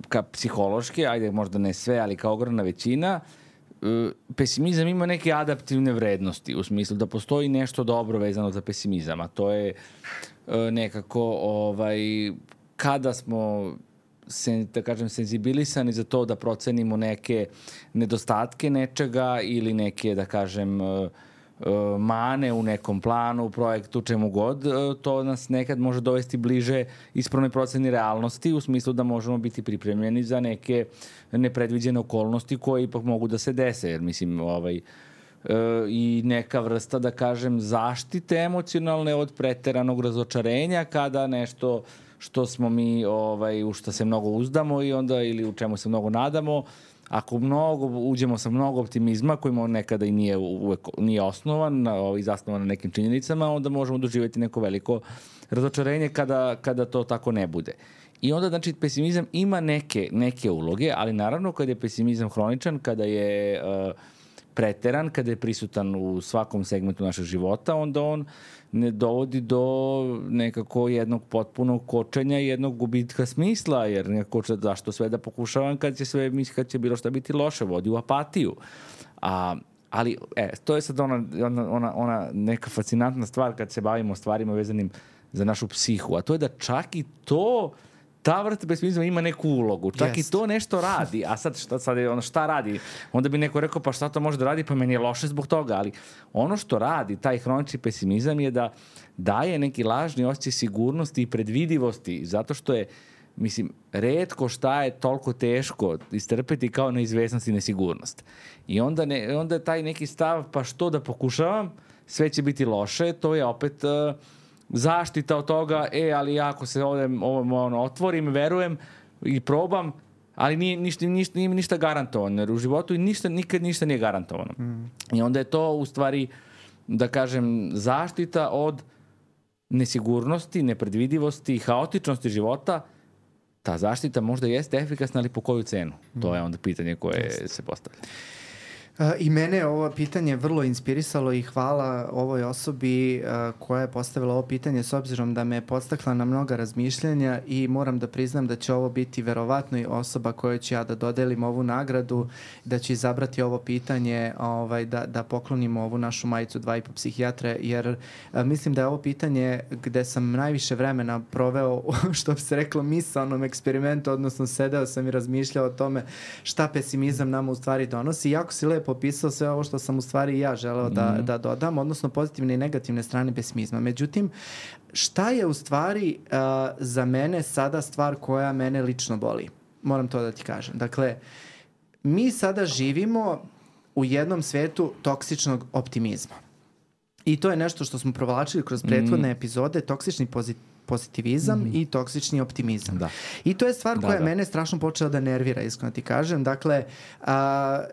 ka psihološke, ajde možda ne sve, ali kao ogromna većina, uh, pesimizam ima neke adaptivne vrednosti, u smislu da postoji nešto dobro vezano za pesimizam, a to je uh, nekako ovaj, kada smo Sen, da kažem, senzibilisani za to da procenimo neke nedostatke nečega ili neke, da kažem, mane u nekom planu, u projektu, čemu god, to nas nekad može dovesti bliže ispravnoj proceni realnosti, u smislu da možemo biti pripremljeni za neke nepredviđene okolnosti koje ipak mogu da se dese, jer mislim, ovaj, i neka vrsta, da kažem, zaštite emocionalne od preteranog razočarenja kada nešto što smo mi, ovaj, u što se mnogo uzdamo i onda, ili u čemu se mnogo nadamo, ako mnogo, uđemo sa mnogo optimizma, koji nekada i nije, uvek, nije osnovan, ovaj, zasnovan na nekim činjenicama, onda možemo doživjeti neko veliko razočarenje kada, kada to tako ne bude. I onda, znači, pesimizam ima neke, neke uloge, ali naravno kada je pesimizam hroničan, kada je uh, preteran, kada je prisutan u svakom segmentu našeg života, onda on ne dovodi do nekako jednog potpunog kočenja i jednog gubitka smisla, jer nekako zašto sve da pokušavam kad će sve, kad će bilo šta biti loše, vodi u apatiju. A Ali, e, to je sad ona, ona, ona, ona neka fascinantna stvar kad se bavimo stvarima vezanim za našu psihu, a to je da čak i to, ta vrsta pesimizma ima neku ulogu, čak yes. i to nešto radi, a sad šta, sad je ono šta radi, onda bi neko rekao pa šta to može da radi, pa meni je loše zbog toga, ali ono što radi, taj hronični pesimizam je da daje neki lažni osjećaj sigurnosti i predvidivosti, zato što je, mislim, retko šta je toliko teško istrpeti kao neizvesnost i nesigurnost. I onda, ne, onda je taj neki stav, pa što da pokušavam, sve će biti loše, to je opet uh, zaštita od toga, e, ali ja ako se ovdje ovo, ono, otvorim, verujem i probam, ali nije ništa, ništa, nije ništa garantovano, jer u životu ništa, nikad ništa nije garantovano. Mm. I onda je to u stvari, da kažem, zaštita od nesigurnosti, nepredvidivosti, haotičnosti života. Ta zaštita možda jeste efikasna, ali po koju cenu? Mm. To je onda pitanje koje Just. se postavlja. I mene ovo pitanje vrlo inspirisalo i hvala ovoj osobi koja je postavila ovo pitanje s obzirom da me je podstakla na mnoga razmišljanja i moram da priznam da će ovo biti verovatno i osoba kojoj ću ja da dodelim ovu nagradu, da ću izabrati ovo pitanje ovaj, da, da poklonimo ovu našu majicu dva i po psihijatre, jer a, mislim da je ovo pitanje gde sam najviše vremena proveo, što bi se reklo, misaonom eksperimentu, odnosno sedeo sam i razmišljao o tome šta pesimizam nama u stvari donosi. Jako si lepo popisao sve ovo što sam u stvari i ja želeo da, mm. da dodam, odnosno pozitivne i negativne strane pesimizma. Međutim, šta je u stvari uh, za mene sada stvar koja mene lično boli? Moram to da ti kažem. Dakle, mi sada živimo u jednom svetu toksičnog optimizma. I to je nešto što smo provlačili kroz prethodne mm. epizode, toksični pozit pozitivizam mm. i toksični optimizam. Da. I to je stvar koja da, da. mene strašno počela da nervira, iskreno ti kažem. Dakle, a,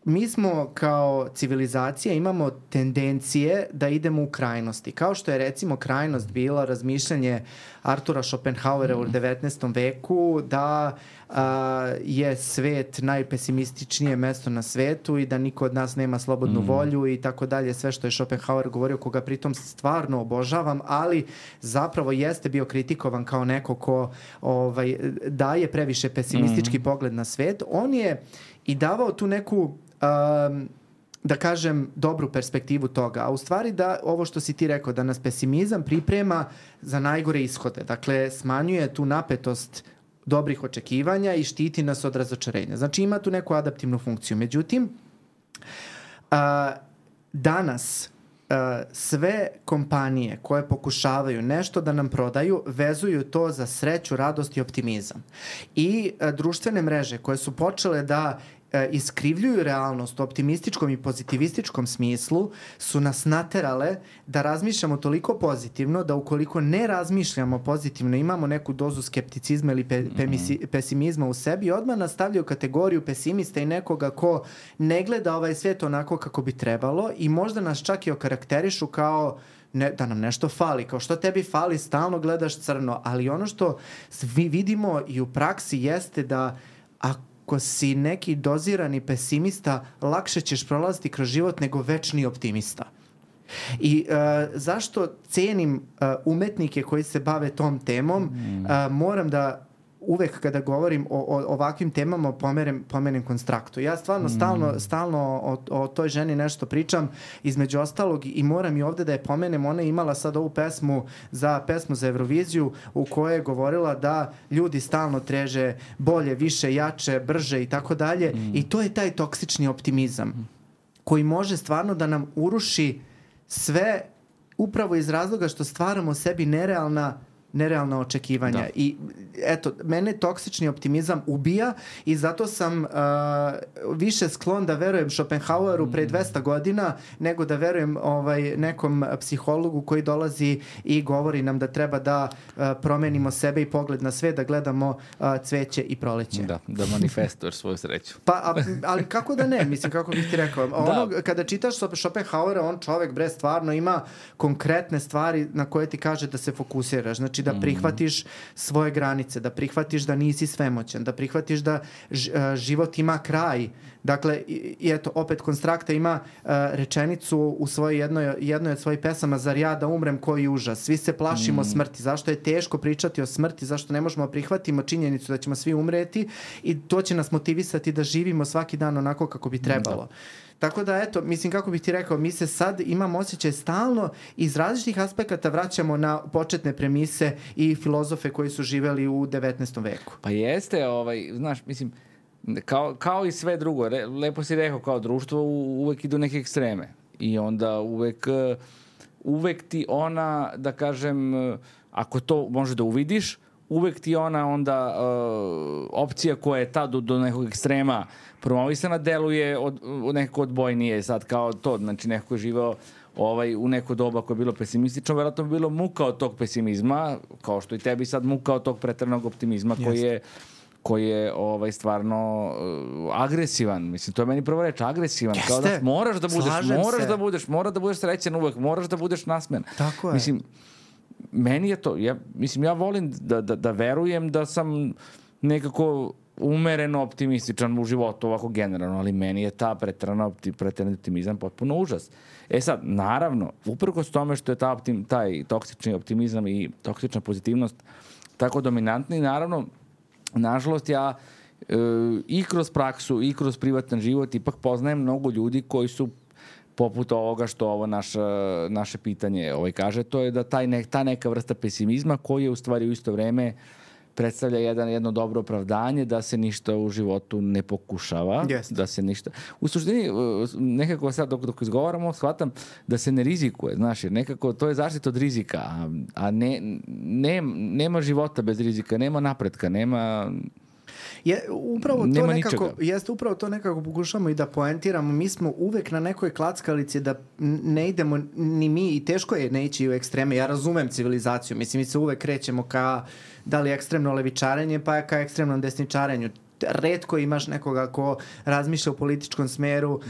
mi smo kao civilizacija imamo tendencije da idemo u krajnosti. Kao što je recimo krajnost bila razmišljanje Artura Schopenhauera mm. u devetnaestom veku da a, je svet najpesimističnije mesto na svetu i da niko od nas nema slobodnu mm. volju i tako dalje. Sve što je Schopenhauer govorio, koga pritom stvarno obožavam, ali zapravo jeste bio kritikovan kao neko ko ovaj, daje previše pesimistički mm. pogled na svet. On je i davao tu neku Um, da kažem dobru perspektivu toga, a u stvari da ovo što si ti rekao, da nas pesimizam priprema za najgore ishode, dakle smanjuje tu napetost dobrih očekivanja i štiti nas od razočarenja, znači ima tu neku adaptivnu funkciju. Međutim, uh, danas uh, sve kompanije koje pokušavaju nešto da nam prodaju vezuju to za sreću, radost i optimizam i uh, društvene mreže koje su počele da iskrivljuju realnost u optimističkom i pozitivističkom smislu su nas naterale da razmišljamo toliko pozitivno da ukoliko ne razmišljamo pozitivno imamo neku dozu skepticizma ili pe, pemisi, pesimizma u sebi, odmah nas stavljaju u kategoriju pesimista i nekoga ko ne gleda ovaj svijet onako kako bi trebalo i možda nas čak i okarakterišu kao ne, da nam nešto fali, kao što tebi fali, stalno gledaš crno, ali ono što svi vidimo i u praksi jeste da ako ako si neki dozirani pesimista, lakše ćeš prolaziti kroz život nego večni optimista. I uh, zašto cenim uh, umetnike koji se bave tom temom, mm. uh, moram da uvek kada govorim o, o ovakvim temama pomenem, pomenem Konstraktu. Ja stvarno mm. stalno, stalno o, o toj ženi nešto pričam, između ostalog i moram i ovde da je pomenem, ona je imala sad ovu pesmu za pesmu za Euroviziju u kojoj je govorila da ljudi stalno treže bolje, više, jače, brže i tako dalje i to je taj toksični optimizam mm. koji može stvarno da nam uruši sve upravo iz razloga što stvaramo sebi nerealna nerealna očekivanja. Da. I eto, mene toksični optimizam ubija i zato sam uh, više sklon da verujem Schopenhaueru pre dvesta godina nego da verujem ovaj, nekom psihologu koji dolazi i govori nam da treba da uh, promenimo sebe i pogled na sve, da gledamo uh, cveće i proleće. Da, da manifestuješ svoju sreću. Pa, a, ali kako da ne? Mislim, kako bih ti rekao. Ono, da. Kada čitaš Schopenhauera, on čovek, bre, stvarno ima konkretne stvari na koje ti kaže da se fokusiraš. Znači, da prihvatiš svoje granice, da prihvatiš da nisi svemoćan, da prihvatiš da život ima kraj. Dakle, i eto, opet Konstrakta ima uh, rečenicu u svojoj jednoj, jednoj od svojih pesama, zar ja da umrem, koji užas. Svi se plašimo mm. smrti. Zašto je teško pričati o smrti? Zašto ne možemo prihvatimo činjenicu da ćemo svi umreti? I to će nas motivisati da živimo svaki dan onako kako bi trebalo. Da. Tako da, eto, mislim, kako bih ti rekao, mi se sad imamo osjećaj stalno iz različitih aspekata vraćamo na početne premise i filozofe koji su živeli u devetnaestom veku. Pa jeste, ovaj, znaš, mislim, kao, kao i sve drugo, re, lepo si rekao, kao društvo uvek idu neke ekstreme i onda uvek, uvek ti ona, da kažem, ako to može da uvidiš, uvek ti ona onda uh, opcija koja je tad do, do nekog ekstrema promovisana deluje od, od nekako odbojnije sad kao to, znači neko je živao ovaj, u neko doba koje je bilo pesimistično, vjerojatno bi bilo muka od tog pesimizma, kao što i tebi sad muka od tog preteranog optimizma koji je, koji je ovaj, stvarno uh, agresivan. Mislim, to je meni prvo reč, agresivan. Jeste. Kao da moraš da budeš, Slažem moraš se. da budeš, moraš da budeš srećan uvek, moraš da budeš nasmen. Tako je. Mislim, meni je to, ja, mislim, ja volim da, da, da verujem da sam nekako umereno optimističan u životu, ovako generalno, ali meni je ta preterana opti, preterani optimizam potpuno užas. E sad, naravno, uprkos tome što je ta optim, taj toksični optimizam i toksična pozitivnost tako dominantni, naravno, nažalost, ja e, i kroz praksu i kroz privatan život ipak poznajem mnogo ljudi koji su poput ovoga što ovo naše, naše pitanje ovaj kaže, to je da taj ne, ta neka vrsta pesimizma koji je u stvari u isto vreme predstavlja jedan, jedno dobro opravdanje da se ništa u životu ne pokušava. Yes. Da se ništa... U suštini, nekako sad dok, dok izgovaramo, shvatam da se ne rizikuje, znaš, jer nekako to je zaštita od rizika, a, a ne, ne, nema života bez rizika, nema napretka, nema... Je, upravo to Nema nekako, ničega. jeste upravo to nekako pokušamo i da poentiramo. Mi smo uvek na nekoj klackalici da ne idemo ni mi i teško je ne ići u ekstreme. Ja razumem civilizaciju. Mislim, mi se uvek krećemo ka da li ekstremno levičarenje pa ka ekstremnom desničarenju. Retko imaš nekoga ko razmišlja u političkom smeru uh,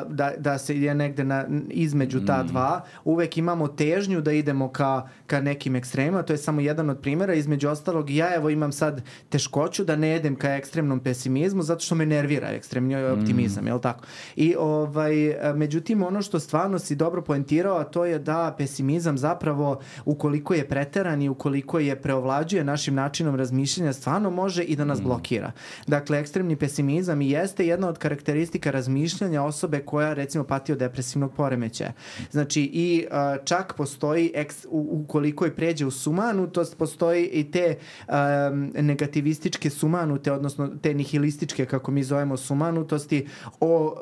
da, da se ide negde na, između ta dva. Uvek imamo težnju da idemo ka, ka nekim ekstremima. To je samo jedan od primjera. Između ostalog, ja evo imam sad teškoću da ne idem ka ekstremnom pesimizmu zato što me nervira ekstremni optimizam, mm. je li tako? I ovaj, međutim, ono što stvarno si dobro poentirao, a to je da pesimizam zapravo, ukoliko je preteran i ukoliko je preovlađuje našim načinom razmišljanja, stvarno može i da nas mm. blokira. Dakle, ekstremni pesimizam i jeste jedna od karakteristika razmišljanja osobe koja, recimo, pati od depresivnog poremećaja. Znači, i uh, čak postoji, eks, u, ukoliko je pređe u sumanutost, postoji i te um, negativističke sumanute, odnosno te nihilističke, kako mi zovemo, sumanutosti o, o,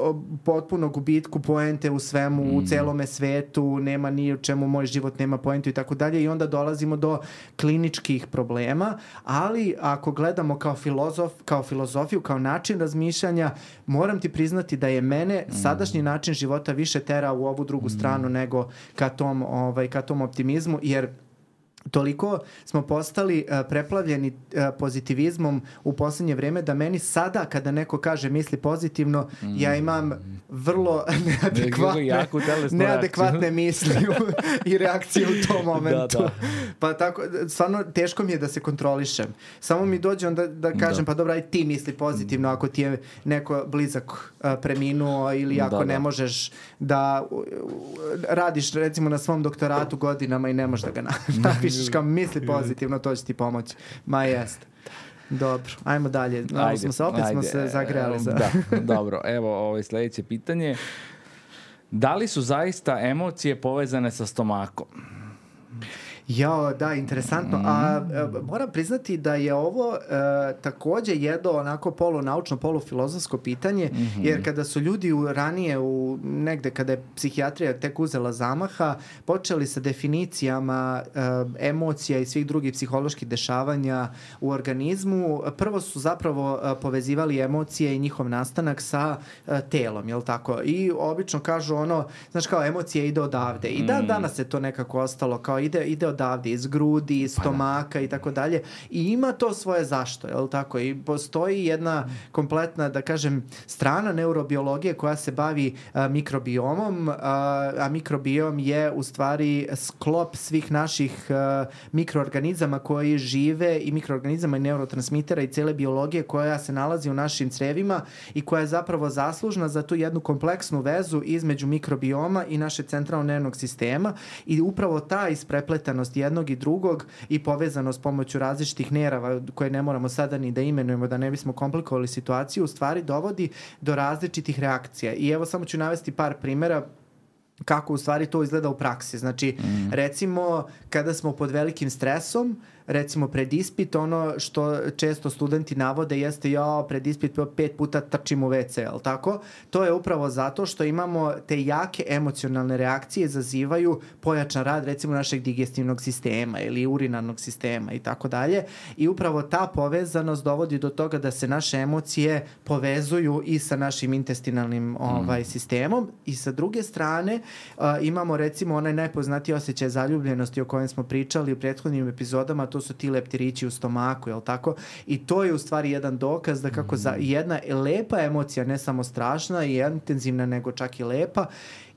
o potpuno gubitku poente u svemu, mm. u celome svetu, nema ni u čemu, moj život nema poentu i tako dalje, i onda dolazimo do kliničkih problema, ali ako gledamo kao filozof, kao filozofiju, kao način razmišljanja, moram ti priznati da je mene mm. sadašnji način života više tera u ovu drugu mm. stranu nego ka tom, ovaj, ka tom optimizmu, jer toliko smo postali uh, preplavljeni uh, pozitivizmom u posljednje vrijeme da meni sada kada neko kaže misli pozitivno, mm. ja imam vrlo neadekvatne, neadekvatne misli i reakcije u tom momentu. Da, da. Pa tako, stvarno teško mi je da se kontrolišem. Samo mi dođe onda da kažem, da. pa dobro, aj ti misli pozitivno ako ti je neko blizak uh, preminuo ili ako da, ne da. možeš da uh, radiš recimo na svom doktoratu godinama i ne možeš da ga napišeš kao misli pozitivno, to će ti pomoći. Ma jest. Dobro, ajmo dalje. Ajde, smo se, opet ajde. smo se zagrejali. Za... Da, dobro. Evo, ovo je sljedeće pitanje. Da li su zaista emocije povezane sa stomakom? Ja, da, interesantno. A, a moram priznati da je ovo a, također jedno onako polunaučno, polufilozofsko pitanje, mm-hmm. jer kada su ljudi u, ranije, u, negde kada je psihijatrija tek uzela zamaha, počeli sa definicijama a, emocija i svih drugih psiholoških dešavanja u organizmu. Prvo su zapravo a, povezivali emocije i njihov nastanak sa a, telom, jel tako? I obično kažu ono, znaš kao, emocije ide odavde. I dan danas je to nekako ostalo, kao ide, ide odavde, iz grudi, iz stomaka i tako dalje. I ima to svoje zašto, je li tako? I postoji jedna kompletna, da kažem, strana neurobiologije koja se bavi a, mikrobiomom, a, a mikrobiom je u stvari sklop svih naših a, mikroorganizama koji žive i mikroorganizama i neurotransmitera i cele biologije koja se nalazi u našim crevima i koja je zapravo zaslužna za tu jednu kompleksnu vezu između mikrobioma i naše centralno nervnog sistema i upravo ta isprepletanost zastupljenost jednog i drugog i povezanost pomoću različitih nerava koje ne moramo sada ni da imenujemo da ne bismo komplikovali situaciju, u stvari dovodi do različitih reakcija. I evo samo ću navesti par primjera kako u stvari to izgleda u praksi. Znači, mm. recimo, kada smo pod velikim stresom, recimo pred ispit, ono što često studenti navode jeste ja pred ispit pet puta trčim u ve ce, jel tako? To je upravo zato što imamo te jake emocionalne reakcije izazivaju pojačan rad recimo našeg digestivnog sistema ili urinarnog sistema i tako dalje. I upravo ta povezanost dovodi do toga da se naše emocije povezuju i sa našim intestinalnim ovaj, mm. sistemom. I sa druge strane uh, imamo recimo onaj najpoznatiji osjećaj zaljubljenosti o kojem smo pričali u prethodnim epizodama, to su ti leptirići u stomaku, jel tako? I to je u stvari jedan dokaz da kako za jedna lepa emocija, ne samo strašna i intenzivna, nego čak i lepa,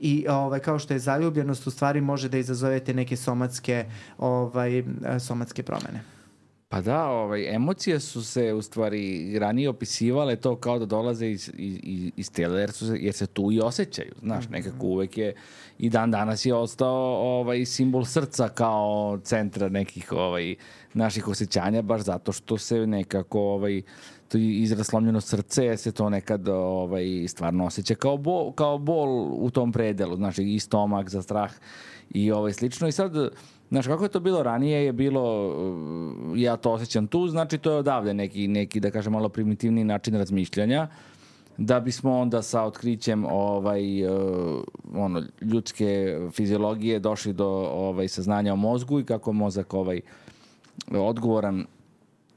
i ovaj, kao što je zaljubljenost, u stvari može da izazovete neke somatske, ovaj, somatske promene. Pa da, ovaj, emocije su se u stvari ranije opisivale to kao da dolaze iz, iz, iz tela, jer, su se, jer se tu i osjećaju, znaš, nekako uvek je, i dan danas je ostao ovaj, simbol srca kao centra nekih ovaj, naših osjećanja, baš zato što se nekako ovaj, to izraz slomljeno srce, jer se to nekad ovaj, stvarno osjeća kao bol, kao bol u tom predelu, znaš, i stomak za strah i ovaj, slično. I sad, znaš, kako je to bilo ranije, je bilo, ja to osjećam tu, znači to je odavde neki, neki da kažem, malo primitivni način razmišljanja, da bismo onda sa otkrićem ovaj, uh, ono, ljudske fiziologije došli do ovaj, saznanja o mozgu i kako mozak ovaj, odgovoran,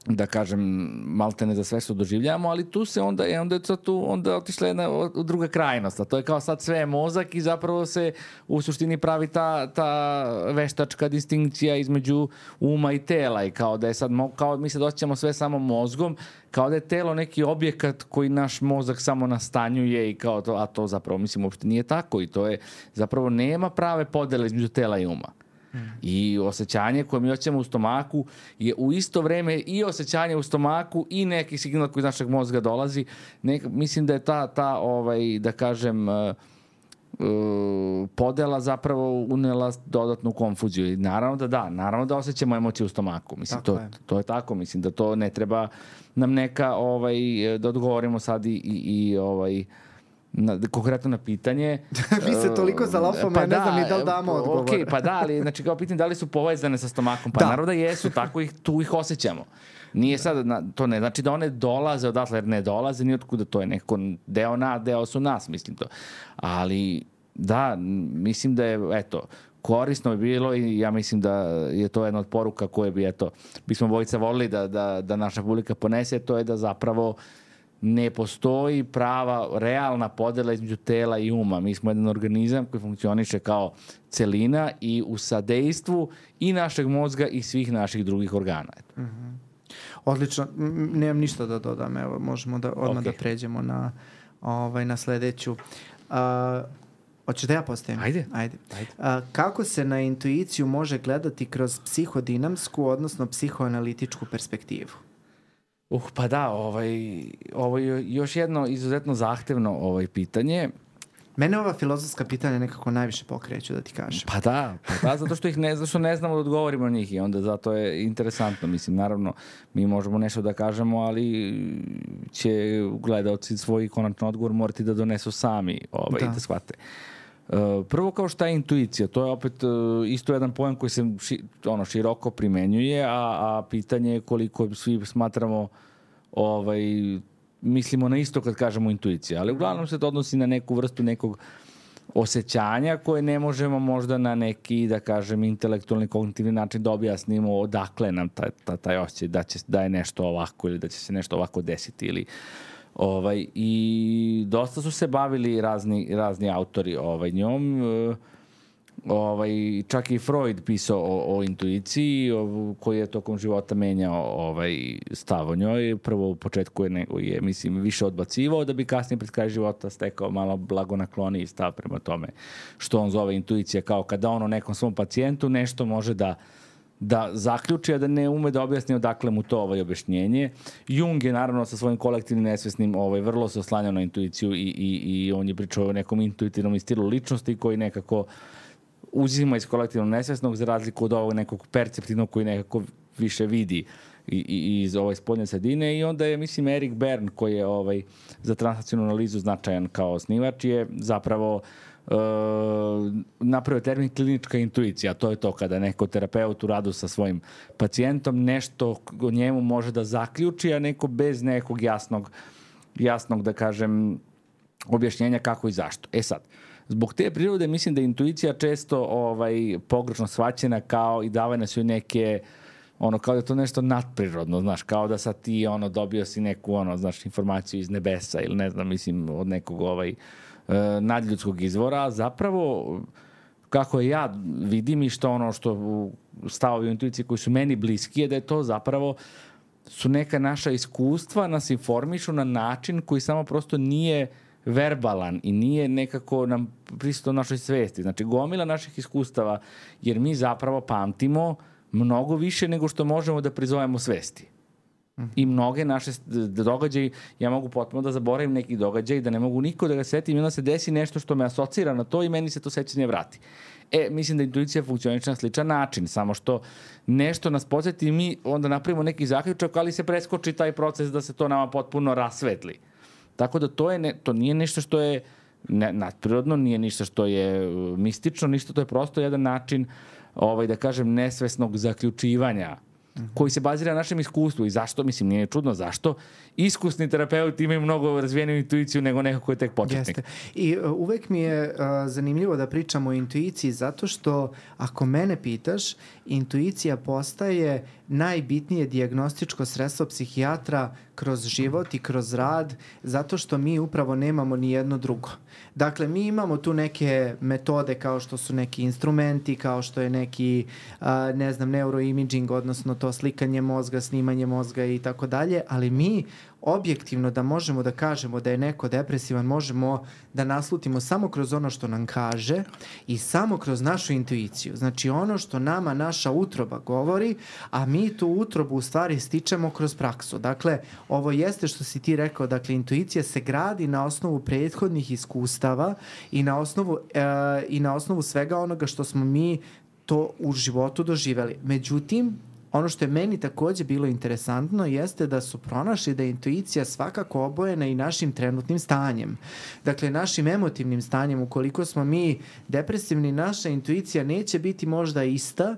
da kažem, maltene za sve što doživljamo, ali tu se onda je onda je tu onda otišla jedna druga krajnost, a to je kao sad sve je mozak i zapravo se u suštini pravi ta, ta veštačka distinkcija između uma i tela i kao da je sad, kao mi se osjećamo sve samo mozgom, kao da je telo neki objekat koji naš mozak samo nastanjuje i kao to, a to zapravo mislim uopšte nije tako i to je zapravo nema prave podele između tela i uma. I osjećanje koje mi osjećamo u stomaku je u isto vreme i osjećanje u stomaku i neki signal koji iz našeg mozga dolazi. Nek, mislim da je ta, ta ovaj, da kažem, uh, uh, podela zapravo unela dodatnu konfuziju. I naravno da da, naravno da osjećamo emocije u stomaku. Mislim, to, je. to je tako. Mislim da to ne treba nam neka, ovaj, da odgovorimo sad i, i, i ovaj, Na, konkretno na pitanje. Vi se toliko zalafamo, pa ja ne znam ni da li damo odgovor. Ok, pa da, ali znači kao pitanje da li su povezane sa stomakom? Pa da. Naravno da jesu, tako ih, tu ih osjećamo. Nije sad, to ne znači da one dolaze odatle, jer ne dolaze, ni otkuda, to je neko deo na, deo su nas, mislim to. Ali da, mislim da je, eto, korisno je bilo i ja mislim da je to jedna od poruka koje bi, eto, bismo bojica volili da, da, da naša publika ponese, to je da zapravo ne postoji prava, realna podela između tela i uma. Mi smo jedan organizam koji funkcioniše kao celina i u sadejstvu i našeg mozga i svih naših drugih organa. Mm-hmm. Odlično. Nemam ništa da dodam. Evo, možemo da odmah okay. da pređemo na, ovaj, na sledeću. Uh, hoćeš da ja postavim? Ajde. Ajde. Ajde. Uh, kako se na intuiciju može gledati kroz psihodinamsku, odnosno psihoanalitičku perspektivu? Uh, pa da, ovaj, ovo je još jedno izuzetno zahtevno ovaj pitanje. Mene ova filozofska pitanja nekako najviše pokreću, da ti kažem. Pa da, pa da, zato što ih ne, zato što ne znamo da odgovorimo na njih i onda zato je interesantno. Mislim, naravno, mi možemo nešto da kažemo, ali će gledaoci svoj konačan odgovor morati da donesu sami ovaj, da. da shvate. Uh, prvo kao šta je intuicija, to je opet uh, isto jedan pojam koji se ši, ono, široko primenjuje, a, a pitanje je koliko svi smatramo ovaj, mislimo na isto kad kažemo intuicija, ali uglavnom se to odnosi na neku vrstu nekog osjećanja koje ne možemo možda na neki, da kažem, intelektualni, kognitivni način da objasnimo odakle nam taj, taj, taj osjećaj da, će, da je nešto ovako ili da će se nešto ovako desiti ili Ovaj, i dosta su se bavili razni, razni autori ovaj, njom. Ovaj, čak i Freud pisao o, o intuiciji o, koji je tokom života menjao ovaj, stav o njoj. Prvo u početku je, nego je mislim, više odbacivao da bi kasnije pred kraj života stekao malo blagonakloniji stav prema tome što on zove intuicija, kao kada on o nekom svom pacijentu nešto može da da zaključi, a da ne ume da objasni odakle mu to ovaj objašnjenje. Jung je naravno sa svojim kolektivnim nesvesnim ovaj, vrlo se oslanjao na intuiciju i, i, i on je pričao o nekom intuitivnom stilu ličnosti koji nekako uzima iz kolektivnog nesvesnog za razliku od ovog nekog perceptivnog koji nekako više vidi i, i, iz ove spodnje sredine i onda je, mislim, Erik Bern koji je ovaj, za transakcionalnu analizu značajan kao osnivač je zapravo uh, napravio termin klinička intuicija. To je to kada neko terapeut u radu sa svojim pacijentom nešto o njemu može da zaključi, a neko bez nekog jasnog, jasnog da kažem, objašnjenja kako i zašto. E sad, zbog te prirode mislim da je intuicija često ovaj, pogrešno shvaćena kao i davane su neke ono kao da je to nešto nadprirodno, znaš, kao da sad ti ono dobio si neku ono, znaš, informaciju iz nebesa ili ne znam, mislim, od nekog ovaj uh, nadljudskog izvora, zapravo kako je ja vidim i što ono što stavovi u intuiciji koji su meni bliski je da je to zapravo su neka naša iskustva nas informišu na način koji samo prosto nije verbalan i nije nekako nam prisutan u našoj svesti. Znači, gomila naših iskustava, jer mi zapravo pamtimo mnogo više nego što možemo da prizovemo svesti. Mm. I mnoge naše događaje, ja mogu potpuno da zaboravim neki događaj, da ne mogu niko da ga setim i onda se desi nešto što me asocira na to i meni se to sećanje vrati. E, mislim da intuicija funkcioniše na sličan način, samo što nešto nas podsjeti i mi onda napravimo neki zaključak, ali se preskoči taj proces da se to nama potpuno rasvetli. Tako da to, je ne, to nije nešto što je ne, nadprirodno, nije ništa što je uh, mistično, ništa, to je prosto jedan način ovaj, da kažem, nesvesnog zaključivanja mm-hmm. koji se bazira na našem iskustvu. I zašto, mislim, nije čudno, zašto iskusni terapeuti imaju mnogo razvijeniju intuiciju nego neko ko je tek početnik. Jeste. I uh, uvek mi je uh, zanimljivo da pričamo o intuiciji zato što, ako mene pitaš, intuicija postaje najbitnije dijagnostičko sredstvo psihijatra kroz život i kroz rad, zato što mi upravo nemamo ni jedno drugo. Dakle, mi imamo tu neke metode kao što su neki instrumenti, kao što je neki, uh, ne znam, neuroimaging, odnosno to slikanje mozga, snimanje mozga i tako dalje, ali mi objektivno da možemo da kažemo da je neko depresivan, možemo da naslutimo samo kroz ono što nam kaže i samo kroz našu intuiciju. Znači ono što nama naša utroba govori, a mi tu utrobu u stvari stičemo kroz praksu. Dakle, ovo jeste što si ti rekao, dakle, intuicija se gradi na osnovu prethodnih iskustava i na osnovu, e, i na osnovu svega onoga što smo mi to u životu doživeli. Međutim, ono što je meni takođe bilo interesantno jeste da su pronašli da je intuicija svakako obojena i našim trenutnim stanjem. Dakle, našim emotivnim stanjem, ukoliko smo mi depresivni, naša intuicija neće biti možda ista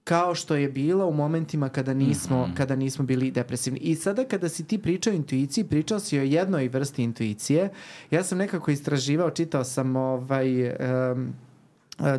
kao što je bila u momentima kada nismo, mm-hmm. kada nismo bili depresivni. I sada kada si ti pričao o intuiciji, pričao si o jednoj vrsti intuicije. Ja sam nekako istraživao, čitao sam ovaj... Um,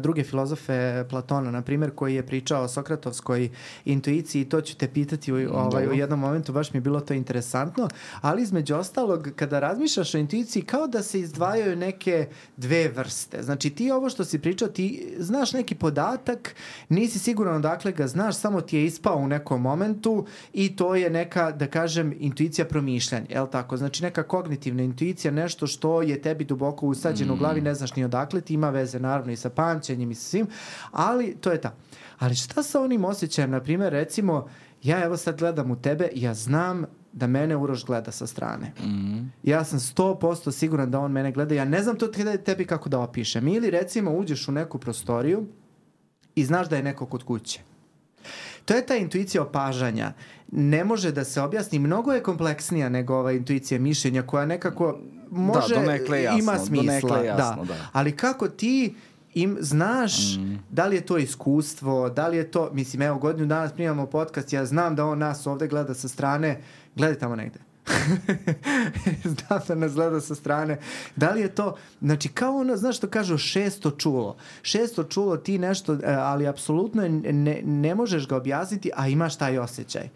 druge filozofe, Platona, na primjer, koji je pričao o sokratovskoj intuiciji, to ću te pitati u, ovaj, u jednom momentu, baš mi je bilo to interesantno, ali između ostalog, kada razmišljaš o intuiciji, kao da se izdvajaju neke dve vrste. Znači, ti ovo što si pričao, ti znaš neki podatak, nisi siguran odakle ga znaš, samo ti je ispao u nekom momentu i to je neka, da kažem, intuicija promišljanja, je li tako? Znači, neka kognitivna intuicija, nešto što je tebi duboko usađeno mm. u glavi, ne znaš ni odakle, ti ima veze, naravno, i sa pamćenjem i sa svim, ali to je ta. Ali šta sa onim osjećajem, na primjer, recimo, ja evo sad gledam u tebe, ja znam da mene Uroš gleda sa strane. Mm. Ja sam sto posto siguran da on mene gleda, ja ne znam to tebi kako da opišem. Ili recimo uđeš u neku prostoriju i znaš da je neko kod kuće. To je ta intuicija opažanja. Ne može da se objasni, mnogo je kompleksnija nego ova intuicija mišljenja koja nekako može, da, donekle jasno, ima smisla. Jasno, da. Da. Ali kako ti im znaš mm. da li je to iskustvo, da li je to, mislim, evo, godinu dana snimamo podcast, ja znam da on nas ovde gleda sa strane, gledaj tamo negde. Znam da nas gleda sa strane. Da li je to, znači kao ono, znaš što kažu, šesto čulo. Šesto čulo ti nešto, ali apsolutno ne, ne možeš ga objasniti, a imaš taj osjećaj.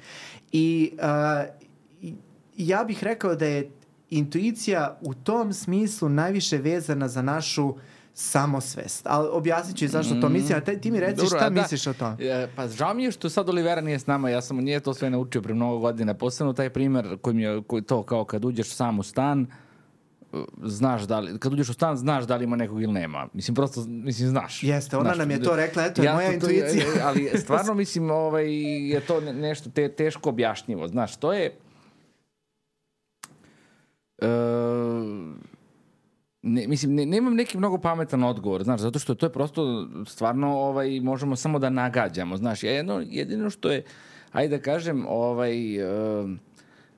I uh, ja bih rekao da je intuicija u tom smislu najviše vezana za našu samosvest. Ali objasnit ću i zašto to mislim, a te, ti mi reci Dobro, šta da, misliš o tom. Pa žao mi je što sad Olivera nije s nama, ja sam nije to sve naučio pre mnogo godina. Posebno taj primer koji mi je koji to kao kad uđeš sam u stan, znaš da li, kad uđeš u stan, znaš da li ima nekog ili nema. Mislim, prosto, mislim, znaš. Jeste, ona znaš, nam je to rekla, eto je ja, moja to, intuicija. Ali stvarno, mislim, ovaj, je to nešto te, teško objašnjivo. Znaš, to je... Uh, ne, mislim, ne, nemam neki mnogo pametan odgovor, znaš, zato što to je prosto stvarno, ovaj, možemo samo da nagađamo, znaš, jedno, jedino što je, ajde da kažem, ovaj, uh,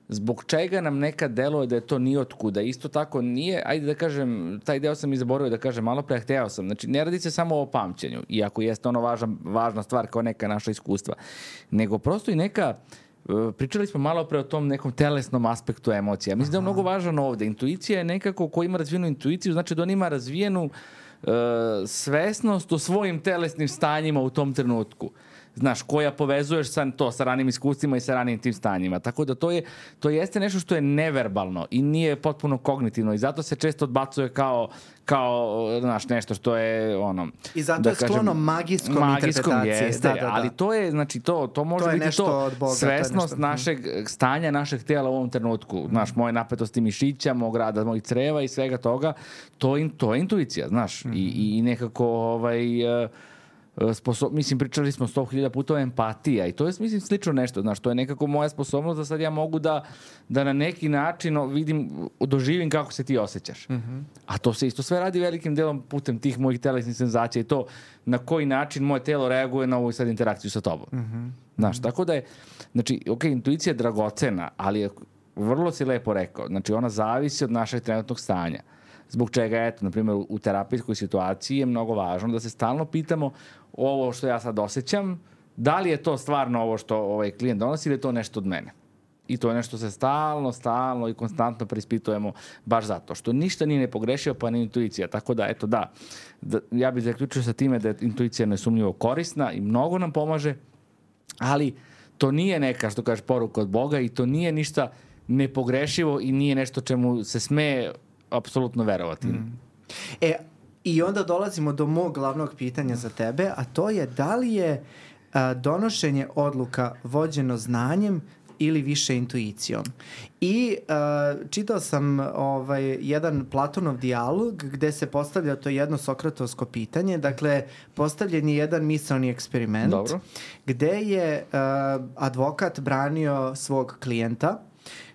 zbog čega nam nekad deluje da je to ni otkuda, isto tako nije, ajde da kažem, taj deo sam i zaboravio da kažem malo pre, hteo sam, znači ne radi se samo o pamćenju, iako jeste ono važna, važna stvar kao neka naša iskustva, nego prosto i neka, pričali smo malo pre o tom nekom telesnom aspektu emocija. Mislim da je mnogo važan ovde. Intuicija je nekako ko ima razvijenu intuiciju, znači da on ima razvijenu uh, svesnost o svojim telesnim stanjima u tom trenutku. Znaš, koja povezuješ sa to, sa ranim iskustvima i sa ranim tim stanjima. Tako da to je, to jeste nešto što je neverbalno i nije potpuno kognitivno i zato se često odbacuje kao, kao znaš, nešto što je ono... I zato da je sklono kažem, magijskom, magijskom interpretacije. Jeste, da, da, da. Ali to je, znači, to, to može to biti to Boga, svesnost to našeg stanja, našeg tela u ovom trenutku. Znaš, moje napetosti mišića, mog rada, mojih creva i svega toga, to, in, to je intuicija, znaš. Mm-hmm. I, i nekako, ovaj... Uh, Sposob, mislim, pričali smo sto hiljada puta o empatija i to je, mislim, slično nešto, znaš, to je nekako moja sposobnost da sad ja mogu da, da na neki način vidim, doživim kako se ti osjećaš. Mm-hmm. A to se isto sve radi velikim delom putem tih mojih telesnih senzacija i to na koji način moje telo reaguje na ovu sad interakciju sa tobom. Mm-hmm. Znaš, tako da je, znači, ok, intuicija je dragocena, ali je, vrlo si lepo rekao, znači ona zavisi od našeg trenutnog stanja. Zbog čega, eto, na primjer, u terapijskoj situaciji je mnogo važno da se stalno pitamo ovo što ja sad osjećam, da li je to stvarno ovo što ovaj klijent donosi ili je to nešto od mene. I to je nešto se stalno, stalno i konstantno preispitujemo baš zato što ništa nije nepogrešio, pa ni intuicija. Tako da, eto, da, da ja bih zaključio sa time da je intuicija nesumnjivo korisna i mnogo nam pomaže, ali to nije neka, što kažeš, poruka od Boga i to nije ništa nepogrešivo i nije nešto čemu se sme apsolutno verovati. Mm. E, i onda dolazimo do mog glavnog pitanja za tebe, a to je da li je a, donošenje odluka vođeno znanjem ili više intuicijom. I uh, čitao sam ovaj, jedan Platonov dijalog gde se postavlja to jedno sokratovsko pitanje. Dakle, postavljen je jedan misaoni eksperiment. Dobro. Gde je uh, advokat branio svog klijenta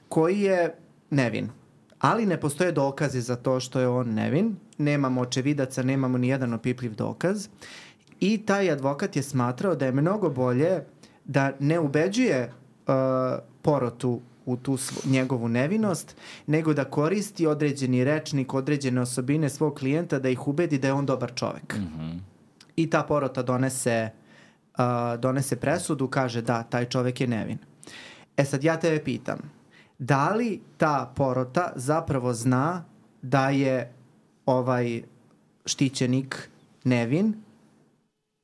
koji je nevin. Ali ne postoje dokazi za to što je on nevin. Nemamo očevidaca, nemamo ni jedan opipljiv dokaz. I taj advokat je smatrao da je mnogo bolje da ne ubeđuje uh, porotu u tu svo, njegovu nevinost, nego da koristi određeni rečnik, određene osobine svog klijenta da ih ubedi da je on dobar čovek. Mm-hmm. I ta porota donese, uh, donese presudu, kaže da, taj čovek je nevin. E sad ja tebe pitam, da li ta porota zapravo zna da je ovaj štićenik nevin?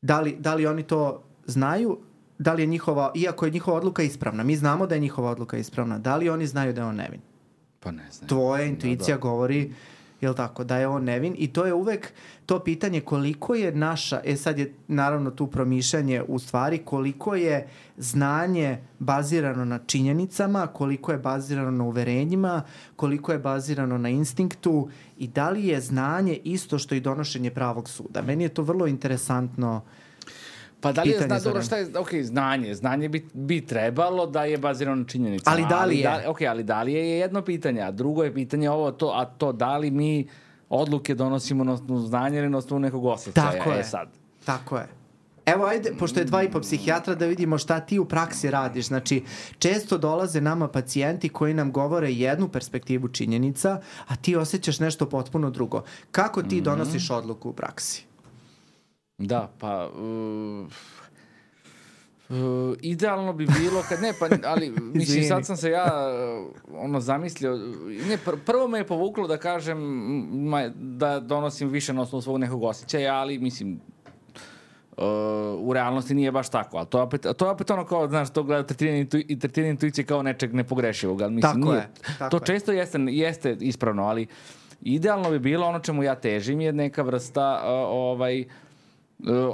Da li, da li oni to znaju? Da li je njihova, iako je njihova odluka ispravna, mi znamo da je njihova odluka ispravna, da li oni znaju da je on nevin? Pa ne znam. Tvoja intuicija da, da. govori, jel tako, da je on nevin i to je uvek to pitanje koliko je naša, e sad je naravno tu promišljanje u stvari, koliko je znanje bazirano na činjenicama, koliko je bazirano na uverenjima, koliko je bazirano na instinktu i da li je znanje isto što i donošenje pravog suda. Meni je to vrlo interesantno. Pa da li je zna, dobro, šta je, ok, znanje, znanje bi, bi trebalo da je bazirano na činjenicama. Ali da li je? Ali, da, ok, ali da li je jedno pitanje, a drugo je pitanje ovo, to, a to da li mi odluke donosimo na osnovu znanja ili na osnovu nekog osjećaja. Tako je, e, sad. tako je. Evo, ajde, pošto je dva i po psihijatra, da vidimo šta ti u praksi radiš. Znači, često dolaze nama pacijenti koji nam govore jednu perspektivu činjenica, a ti osjećaš nešto potpuno drugo. Kako ti mm-hmm. donosiš odluku u praksi? Da, pa uh, uh, idealno bi bilo kad ne, pa ali mislim sad sam se ja uh, ono zamislio, ne, pr- prvo me je povuklo da kažem ma, da donosim više na osnovu svog nekog osjećaja, ali mislim uh, u realnosti nije baš tako, ali to je opet, to je opet ono kao, znaš, to gleda tretiranje intu, tretiranje intuicije kao nečeg nepogrešivog, ali mislim tako nije, je, tako to je. često jeste, jeste ispravno, ali idealno bi bilo ono čemu ja težim je neka vrsta uh, ovaj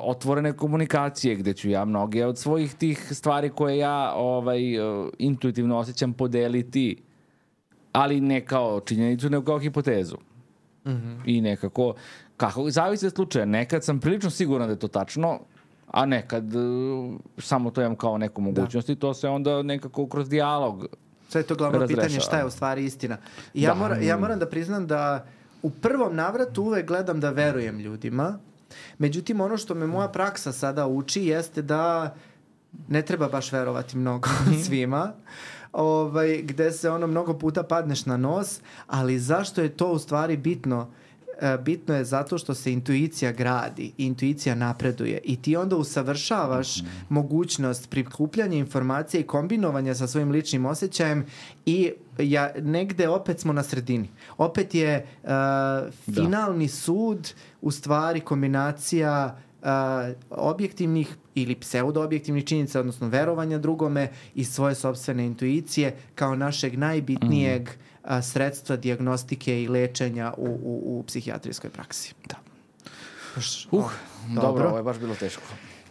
otvorene komunikacije gde ću ja mnoge od svojih tih stvari koje ja ovaj intuitivno osjećam podeliti, ali ne kao činjenicu, nego kao hipotezu. Mm-hmm. I nekako, kako, zavisi od slučaja. Nekad sam prilično siguran da je to tačno, a nekad uh, samo to imam kao neku mogućnost da. I to se onda nekako kroz dijalog sve je to glavno razrešava. Pitanje šta je u stvari istina. I ja, mora, ja moram da priznam da u prvom navratu uvek gledam da verujem ljudima. Međutim, ono što me moja praksa sada uči jeste da ne treba baš verovati mnogo svima. Ovaj, gde se ono mnogo puta padneš na nos, ali zašto je to u stvari bitno? E, bitno je zato što se intuicija gradi, intuicija napreduje i ti onda usavršavaš mm-hmm. mogućnost prikupljanja informacije i kombinovanja sa svojim ličnim osjećajem i ja, negde opet smo na sredini. Opet je uh, finalni da. sud u stvari kombinacija Uh, objektivnih ili pseudo-objektivnih činjenica, odnosno verovanja drugome i svoje sopstvene intuicije kao našeg najbitnijeg mm. uh, sredstva dijagnostike i lečenja u, u, u psihijatrijskoj praksi. Da. Baš, uh, oh, dobro. dobro, ovo je baš bilo teško.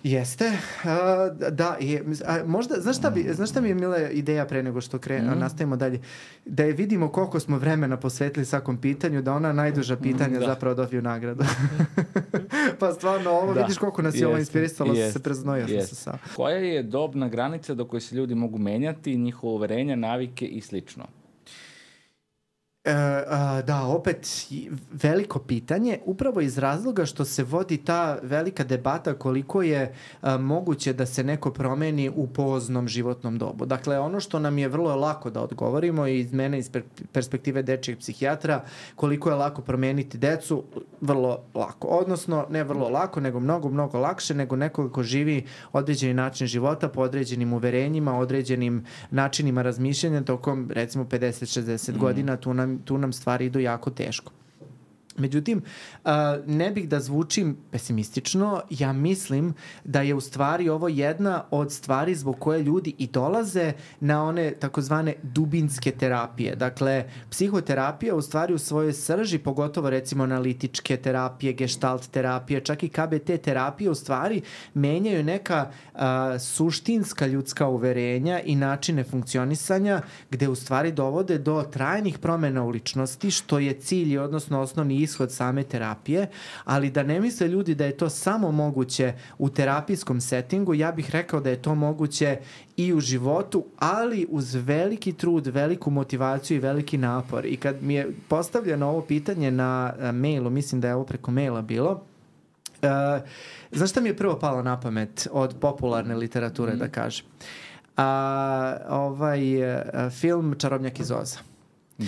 Jeste. Uh, da, je, a možda, znaš šta, bi, znaš šta mi je mila ideja pre nego što kre, mm. nastavimo dalje? Da je vidimo koliko smo vremena posvetili svakom pitanju, da ona najduža pitanja mm, da. zapravo dobiju nagradu. Pa stvarno, ovo da. vidiš koliko nas je ovo inspirisalo, yes. se preznojio yes. sam se sam. Koja je dobna granica do koje se ljudi mogu menjati, njihova uverenja, navike i slično? E, a, da, opet veliko pitanje, upravo iz razloga što se vodi ta velika debata koliko je a, moguće da se neko promeni u poznom životnom dobu. Dakle, ono što nam je vrlo lako da odgovorimo i iz mene iz perspektive dečijeg psihijatra, koliko je lako promeniti decu, vrlo lako. Odnosno, ne vrlo lako, nego mnogo, mnogo lakše nego neko ko živi određeni način života po određenim uverenjima, određenim načinima razmišljanja tokom, recimo, pedeset šezdeset mm. godina, tu nam tu nam stvari idu jako teško. Međutim, uh, ne bih da zvučim pesimistično, ja mislim da je u stvari ovo jedna od stvari zbog koje ljudi i dolaze na one takozvane dubinske terapije. Dakle, psihoterapija u stvari u svojoj srži, pogotovo recimo analitičke terapije, gestalt terapije, čak i K B T terapije u stvari menjaju neka uh, suštinska ljudska uverenja i načine funkcionisanja gde u stvari dovode do trajnih promena u ličnosti, što je cilj, odnosno osnovni ishod same terapije, ali da ne misle ljudi da je to samo moguće u terapijskom settingu, ja bih rekao da je to moguće i u životu, ali uz veliki trud, veliku motivaciju i veliki napor. I kad mi je postavljeno ovo pitanje na mailu, mislim da je ovo preko maila bilo, uh, znaš šta mi je prvo palo na pamet od popularne literature, mm. da kažem? Uh, ovaj uh, film Čarobnjak iz Oza.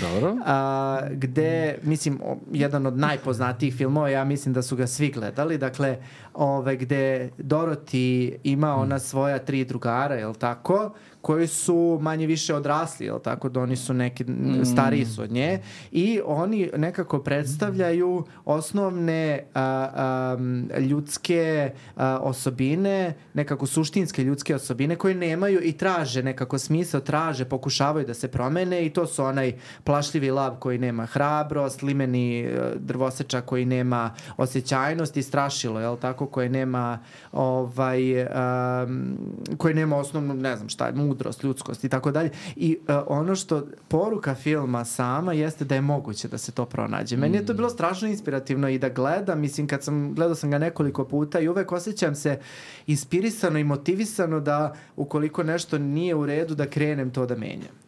Dobro. A, gde, mislim, o, jedan od najpoznatijih filmova, ja mislim da su ga svi gledali, dakle, ove, gde Dorothy ima ona svoja tri drugara, jel tako, koji su manje više odrasli, jel tako, da oni su neki, stariji su od nje i oni nekako predstavljaju osnovne a, a, ljudske a, osobine, nekako suštinske ljudske osobine koje nemaju i traže nekako smisao, traže, pokušavaju da se promene i to su onaj plašljivi lav koji nema hrabrost, limeni drvosečak koji nema osjećajnost i strašilo, jel tako, koje nema ovaj, um, koje nema osnovnu, ne znam šta, mudrost, ljudskost i tako dalje. I uh, ono što poruka filma sama jeste da je moguće da se to pronađe. Meni je to bilo strašno inspirativno i da gledam, mislim, kad sam, gledao sam ga nekoliko puta i uvek osjećam se inspirisano i motivisano da ukoliko nešto nije u redu da krenem to da menjam.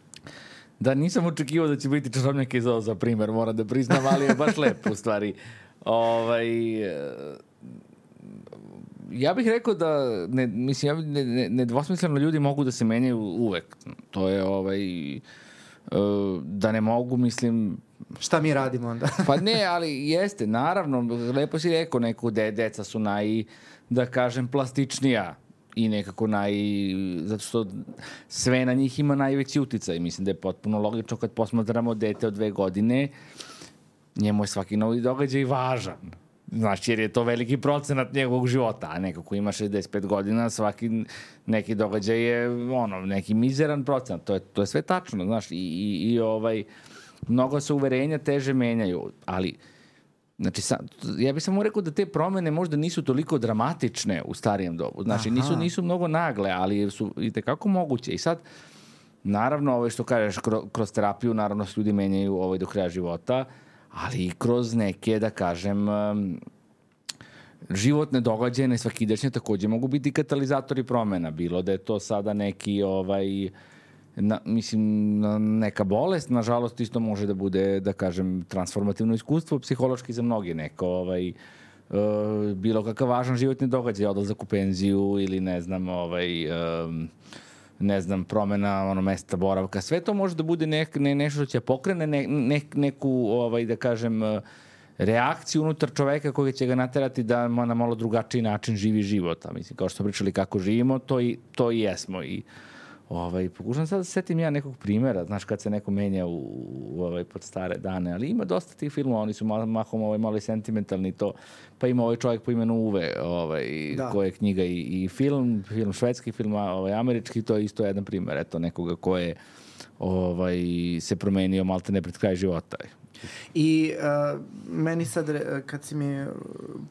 Da, nisam očekivao da će biti Čarobnjak iz Oza, za primjer, moram da priznam, ali je baš lepo u stvari. Ovaj, ja bih rekao da, ne, mislim, ja, ne, nedvosmisleno ljudi mogu da se menjaju uvek. To je, ovaj, da ne mogu, mislim... Šta mi radimo onda? Pa ne, ali jeste, naravno, lepo si rekao, neko de, deca su naj, da kažem, plastičnija i nekako naj... zato što sve na njih ima najveći uticaj. Mislim da je potpuno logično kad posmatramo dete od dve godine, njemu je svaki novi događaj važan. Znaš, jer je to veliki procenat njegovog života, a neko ko ima šezdeset pet godina, svaki neki događaj je ono, neki mizeran procenat. To je, to je sve tačno, znaš, i, i, i ovaj, mnogo se uverenja teže menjaju, ali znači, sam, ja bih samo rekao da te promene možda nisu toliko dramatične u starijem dobu. Znači, nisu, nisu mnogo nagle, ali su i tekako moguće. I sad, naravno, ovo što kažeš, kroz, kroz terapiju, naravno, se ljudi menjaju ovaj, do kraja života, ali i kroz neke, da kažem, um, životne događaje, nesvakidašnje, takođe mogu biti katalizatori promena. Bilo da je to sada neki, ovaj, na, mislim, neka bolest, nažalost isto može da bude, da kažem, transformativno iskustvo psihološki za mnogi, neko ovaj, uh, bilo kakav važan životni događaj, odlazak u penziju ili ne znam, ovaj, um, ne znam, promena ono, mesta boravka, sve to može da bude nek, ne, nešto što će pokrene ne, ne, neku, ovaj, da kažem, reakciju unutar čoveka koji će ga naterati da na malo drugačiji način živi život. A mislim, kao što smo pričali kako živimo, to i, to i jesmo. I ovaj, pokušam sad da setim ja nekog primjera, znaš, kad se neko menja u, u ovaj, pod stare dane, ali ima dosta tih filmova, oni su malo, mahom ovaj, malo i sentimentalni to, pa ima ovaj čovjek po imenu Uve, ovaj, koje je knjiga i, i film, film švedski, film ovaj, američki, to je isto jedan primjer, eto, nekoga ko je ovaj, se promenio malte ne pred kraj života. I uh, meni sad, kad si mi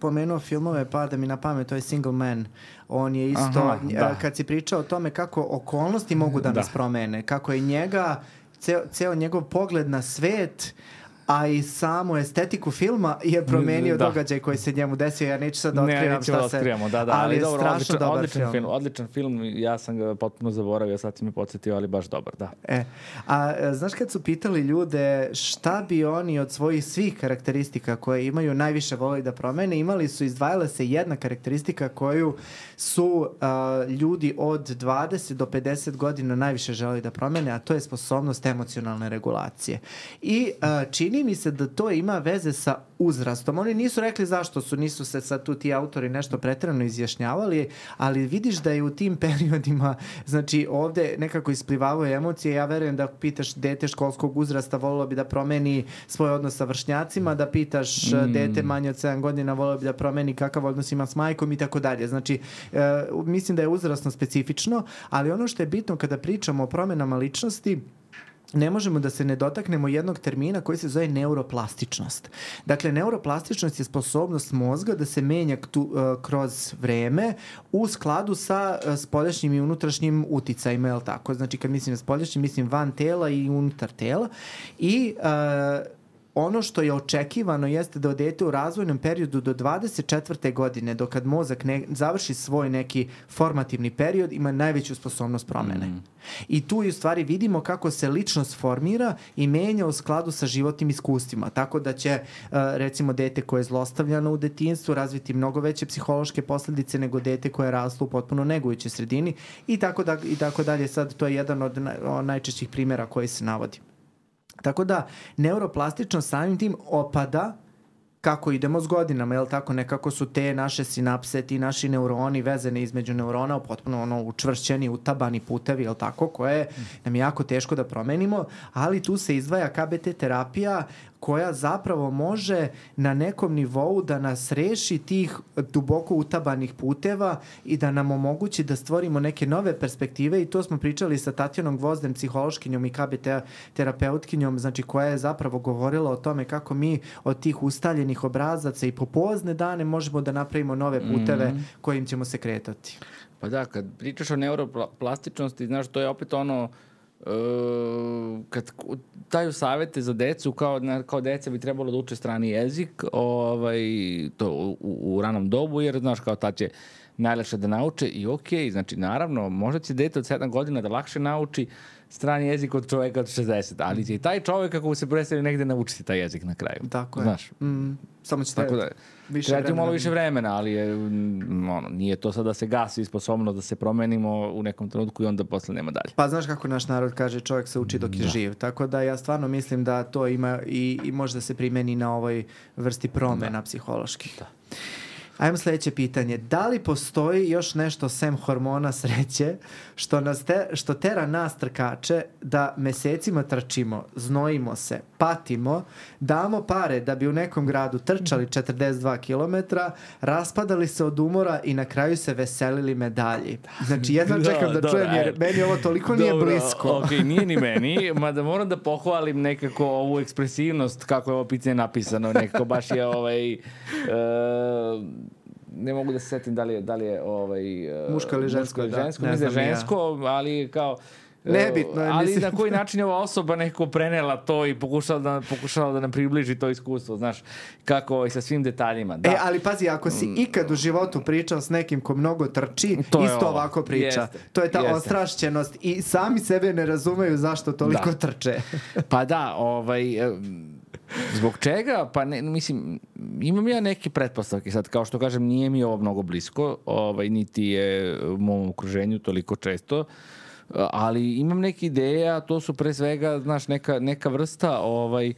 pomenuo filmove, pada mi na pamet, to je Single Man. On je isto, aha, da. Kad si pričao o tome kako okolnosti mogu da nas da. promene, kako je njega, ceo, ceo njegov pogled na svet, a i samu estetiku filma je promenio da. događaj koji se njemu desio. Ja neću sad da otkrivam šta da se... Da, da, ali, ali je dobro, strašno odličan, dobar odličan film. film. Odličan film, ja sam ga potpuno zaboravio, sad si mi podsjetio, ali baš dobar, da. E, a znaš kad su pitali ljude šta bi oni od svojih svih karakteristika koje imaju najviše voleli da promene, imali su, izdvajala se jedna karakteristika koju su uh, ljudi od dvadeset do pedeset godina najviše želeli da promene, a to je sposobnost emocionalne regulacije. I uh, čini mi se da to ima veze sa uzrastom. Oni nisu rekli zašto su, nisu se sad tu ti autori nešto preterano izjašnjavali, ali vidiš da je u tim periodima, znači ovde nekako isplivavaju emocije. Ja verujem da pitaš dete školskog uzrasta volilo bi da promeni svoj odnos sa vršnjacima, da pitaš mm. dete manje od sedam godina volilo bi da promeni kakav odnos ima s majkom i tako dalje. Znači, e, mislim da je uzrasno specifično, ali ono što je bitno kada pričamo o promenama ličnosti, ne možemo da se ne dotaknemo jednog termina koji se zove neuroplastičnost. Dakle, neuroplastičnost je sposobnost mozga da se menja tu, uh, kroz vreme u skladu sa uh, spoljašnjim i unutrašnjim uticajima, je li tako? Znači, kad mislim na spoljašnjim, mislim van tela i unutar tela. I uh, ono što je očekivano jeste da dete u razvojnom periodu do dvadeset četvrte godine, do kad mozak ne, završi svoj neki formativni period, ima najveću sposobnost promene. Mm. I tu u stvari vidimo kako se ličnost formira i menja u skladu sa životnim iskustvima. Tako da će, recimo, dete koje je zlostavljano u detinjstvu razviti mnogo veće psihološke posljedice nego dete koje je raslo u potpuno negujućoj sredini i tako, da, i tako dalje. Sad to je jedan od najčešćih primjera koji se navodi. Tako da neuroplastičnost samim tim opada kako idemo s godinama, jel tako, nekako su te naše sinapse, ti naši neuroni vezane između neurona potpuno ono učvršćeni, utabani putevi, jel tako, koje nam je jako teško da promenimo, ali tu se izdvaja K B T terapija koja zapravo može na nekom nivou da nas reši tih duboko utabanih puteva i da nam omogući da stvorimo neke nove perspektive i to smo pričali sa Tatjanom Gvozdem, psihološkinjom i K B T terapeutkinjom, znači koja je zapravo govorila o tome kako mi od tih ustaljenih obrazaca i po pozne dane možemo da napravimo nove puteve mm-hmm. kojim ćemo se kretati. Pa da, kad pričaš o neuroplastičnosti, znaš, to je opet ono Uh, kad daju savete za decu kao, kao deca bi trebalo da uče strani jezik ovaj, to u, u ranom dobu jer znaš kao ta će najlakše da nauče i ok, znači naravno možda će dete od sedam godina da lakše nauči strani jezik od čoveka od šezdeset, ali će i taj čovek kako se predstavi negde naučiti taj jezik na kraju. Tako je. Znaš? Mm, samo će tako da, treba ti malo više vremena, ali je, ono, nije to sad da se gasi sposobnost da se promenimo u nekom trenutku i onda posle nema dalje. Pa znaš kako naš narod kaže, čovjek se uči dok je da. živ. Tako da ja stvarno mislim da to ima i, i može da se primeni na ovoj vrsti promena da. psiholoških. Da. Ajmo sljedeće pitanje. Da li postoji još nešto sem hormona sreće što, nas te, što tera nas trkače da mesecima trčimo, znojimo se, patimo, damo pare da bi u nekom gradu trčali četrdeset dva kilometra, raspadali se od umora i na kraju se veselili medalji? Znači, jedno da, čekam da dobra, čujem jer meni ovo toliko dobra, nije blisko. Ok, nije ni meni, mada moram da pohvalim nekako ovu ekspresivnost kako je ovo pitanje napisano. Nekako baš je ovaj... Uh, ne mogu da se setim da li je, da li je ovaj, muško ili žensko, muško ili žensko, da, ne znam žensko, ja. Ali kao Nebitno je, ali mislim. na koji način je ova osoba neko prenela to i pokušala da, pokušala da nam približi to iskustvo, znaš, kako i sa svim detaljima. Da. E, ali pazi, ako si ikad u životu pričao s nekim ko mnogo trči, To je isto ovo. ovako priča. Jeste. To je ta Jeste. ostrašćenost i sami sebe ne razumeju zašto toliko Da. trče. Pa da, ovaj, em, zbog čega? Pa ne, mislim, imam ja neke pretpostavke sad, kao što kažem, nije mi ovo mnogo blisko, ovaj, niti je u mom okruženju toliko često, ali imam neke ideje, a to su pre svega, znaš, neka, neka vrsta ovaj,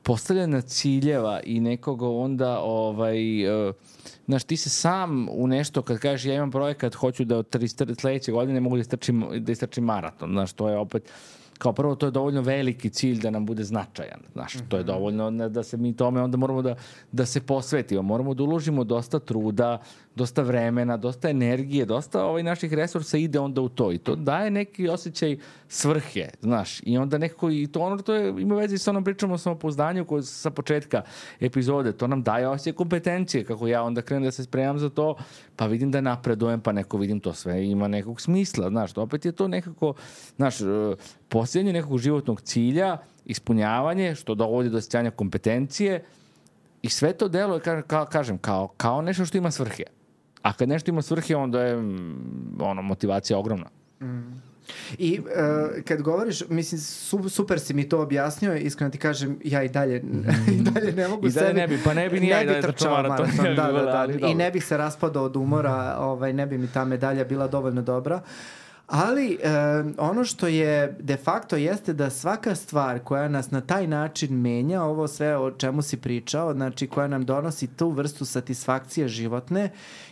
postavljanja ciljeva i nekoga onda, ovaj, uh, znaš, ti se sam u nešto, kad kažeš ja imam projekat, hoću da od tri- sledeće godine mogu da istrčim, da istrčim maraton, znaš, to je opet, kao prvo, to je dovoljno veliki cilj da nam bude značajan, znaš, to je dovoljno da se mi tome onda moramo da, da se posvetimo, moramo da uložimo dosta truda, dosta vremena, dosta energije, dosta ovaj naših resursa ide onda u to i to daje neki osjećaj svrhe, znaš, i onda nekako i to ono, to je, ima veze sa onom pričom o samopouzdanju koju sa početka epizode, to nam daje osjećaj kompetencije, kako ja onda krenem da se spremam za to, pa vidim da napredujem, pa neko vidim to sve ima nekog smisla, znaš, to opet je to nekako, znaš, posljednje nekog životnog cilja, ispunjavanje, što dovodi do osjećanja kompetencije i sve to deluje, ka, ka, kažem, kao, kao nešto što ima svrhe. A kad nešto ima svrhe, onda je mm, ono, motivacija ogromna. Mm. I uh, kad govoriš, mislim, su, super si mi to objasnio, iskreno ti kažem, ja i dalje, i dalje ne mogu I dalje sebi, ne bi, pa ne bi ni ja i dalje trčao maraton. maraton, da, da, da, ali i dobro. ne bih se raspadao od umora, ovaj, ne bi mi ta medalja bila dovoljno dobra. Ali e, ono što je de facto jeste da svaka stvar koja nas na taj način menja, ovo sve o čemu si pričao, znači koja nam donosi tu vrstu satisfakcije životne,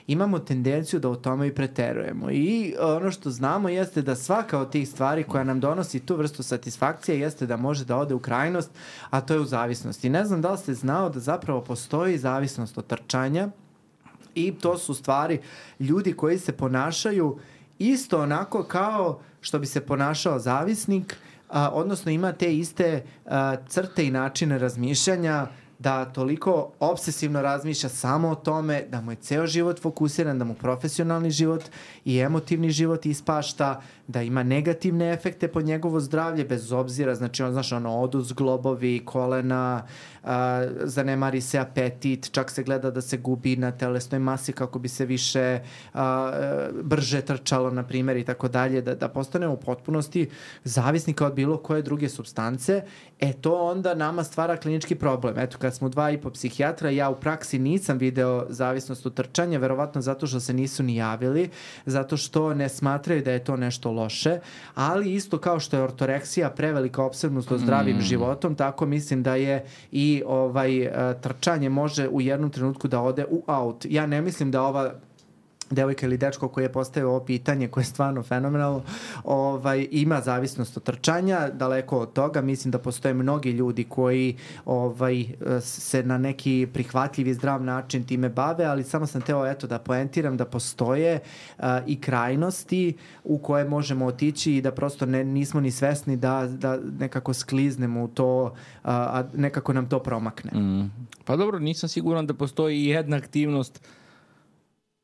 imamo tendenciju da u tome i preterujemo. I ono što znamo jeste da svaka od tih stvari koja nam donosi tu vrstu satisfakcije jeste da može da ode u krajnost, a to je u zavisnosti. Ne znam da li ste znao da zapravo postoji zavisnost od trčanja i to su stvari ljudi koji se ponašaju isto onako kao što bi se ponašao zavisnik, a, odnosno ima te iste a, crte i načine razmišljanja, da toliko obsesivno razmišlja samo o tome, da mu je ceo život fokusiran, da mu profesionalni život i emotivni život ispašta, da ima negativne efekte po njegovo zdravlje, bez obzira, znači on, znaš, ono, odu zglobovi, kolena, a, zanemari se apetit, čak se gleda da se gubi na telesnoj masi kako bi se više a, brže trčalo, na primjer, i tako dalje, da, da postane u potpunosti zavisnika od bilo koje druge supstance, e to onda nama stvara klinički problem. Eto, kad smo dva i po psihijatra, ja u praksi nisam video zavisnost od trčanja, verovatno zato što se nisu ni javili, zato što ne smatraju da je to nešto loše, ali isto kao što je ortoreksija prevelika opsednutost od zdravim mm. životom, tako mislim da je i ovaj trčanje može u jednom trenutku da ode u out. Ja ne mislim da ova devojka ili dečko koji je postavio ovo pitanje, koje je stvarno fenomenalno, ovaj, ima zavisnost od trčanja, daleko od toga. Mislim da postoje mnogi ljudi koji ovaj, se na neki prihvatljiv i zdrav način time bave, ali samo sam teo eto, da poentiram da postoje uh, i krajnosti u koje možemo otići i da prosto ne, nismo ni svesni da, da nekako skliznemo u to, uh, a nekako nam to promakne. Mm. Pa dobro, nisam siguran da postoji jedna aktivnost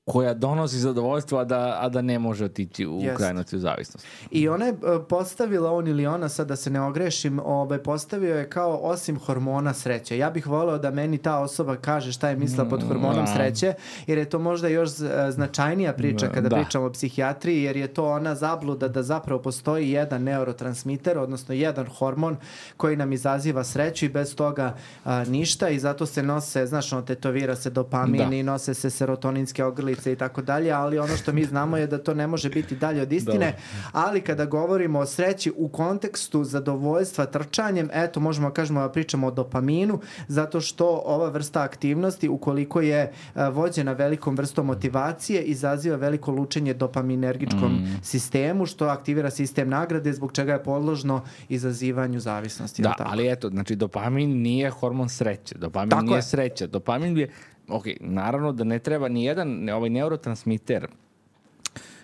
koja donosi zadovoljstvo, a da, a da ne može otići u Jest. krajnosti u zavisnost. I ona je postavila, on ili ona, sad da se ne ogrešim, ovaj, postavio je kao osim hormona sreće. Ja bih voleo da meni ta osoba kaže šta je mislila pod hormonom sreće, jer je to možda još značajnija priča kada da. pričamo o psihijatriji, jer je to ona zabluda da zapravo postoji jedan neurotransmiter, odnosno jedan hormon koji nam izaziva sreću i bez toga a, ništa, i zato se nose, znaš, ono, tetovira se dopamin Da. i nose se serotoninske ogrlice i tako dalje, ali ono što mi znamo je da to ne može biti dalje od istine. Dobro. Ali kada govorimo o sreći u kontekstu zadovoljstva trčanjem, eto, možemo da kažemo da pričamo o dopaminu, zato što ova vrsta aktivnosti, ukoliko je a, vođena velikom vrstom motivacije, izaziva veliko lučenje dopaminergičkom mm. sistemu, što aktivira sistem nagrade, zbog čega je podložno izazivanju zavisnosti. Da, tako? ali eto, znači dopamin nije hormon sreće. Dopamin Tako nije je. sreća. Dopamin je, ok, naravno da ne treba ni jedan ovaj neurotransmiter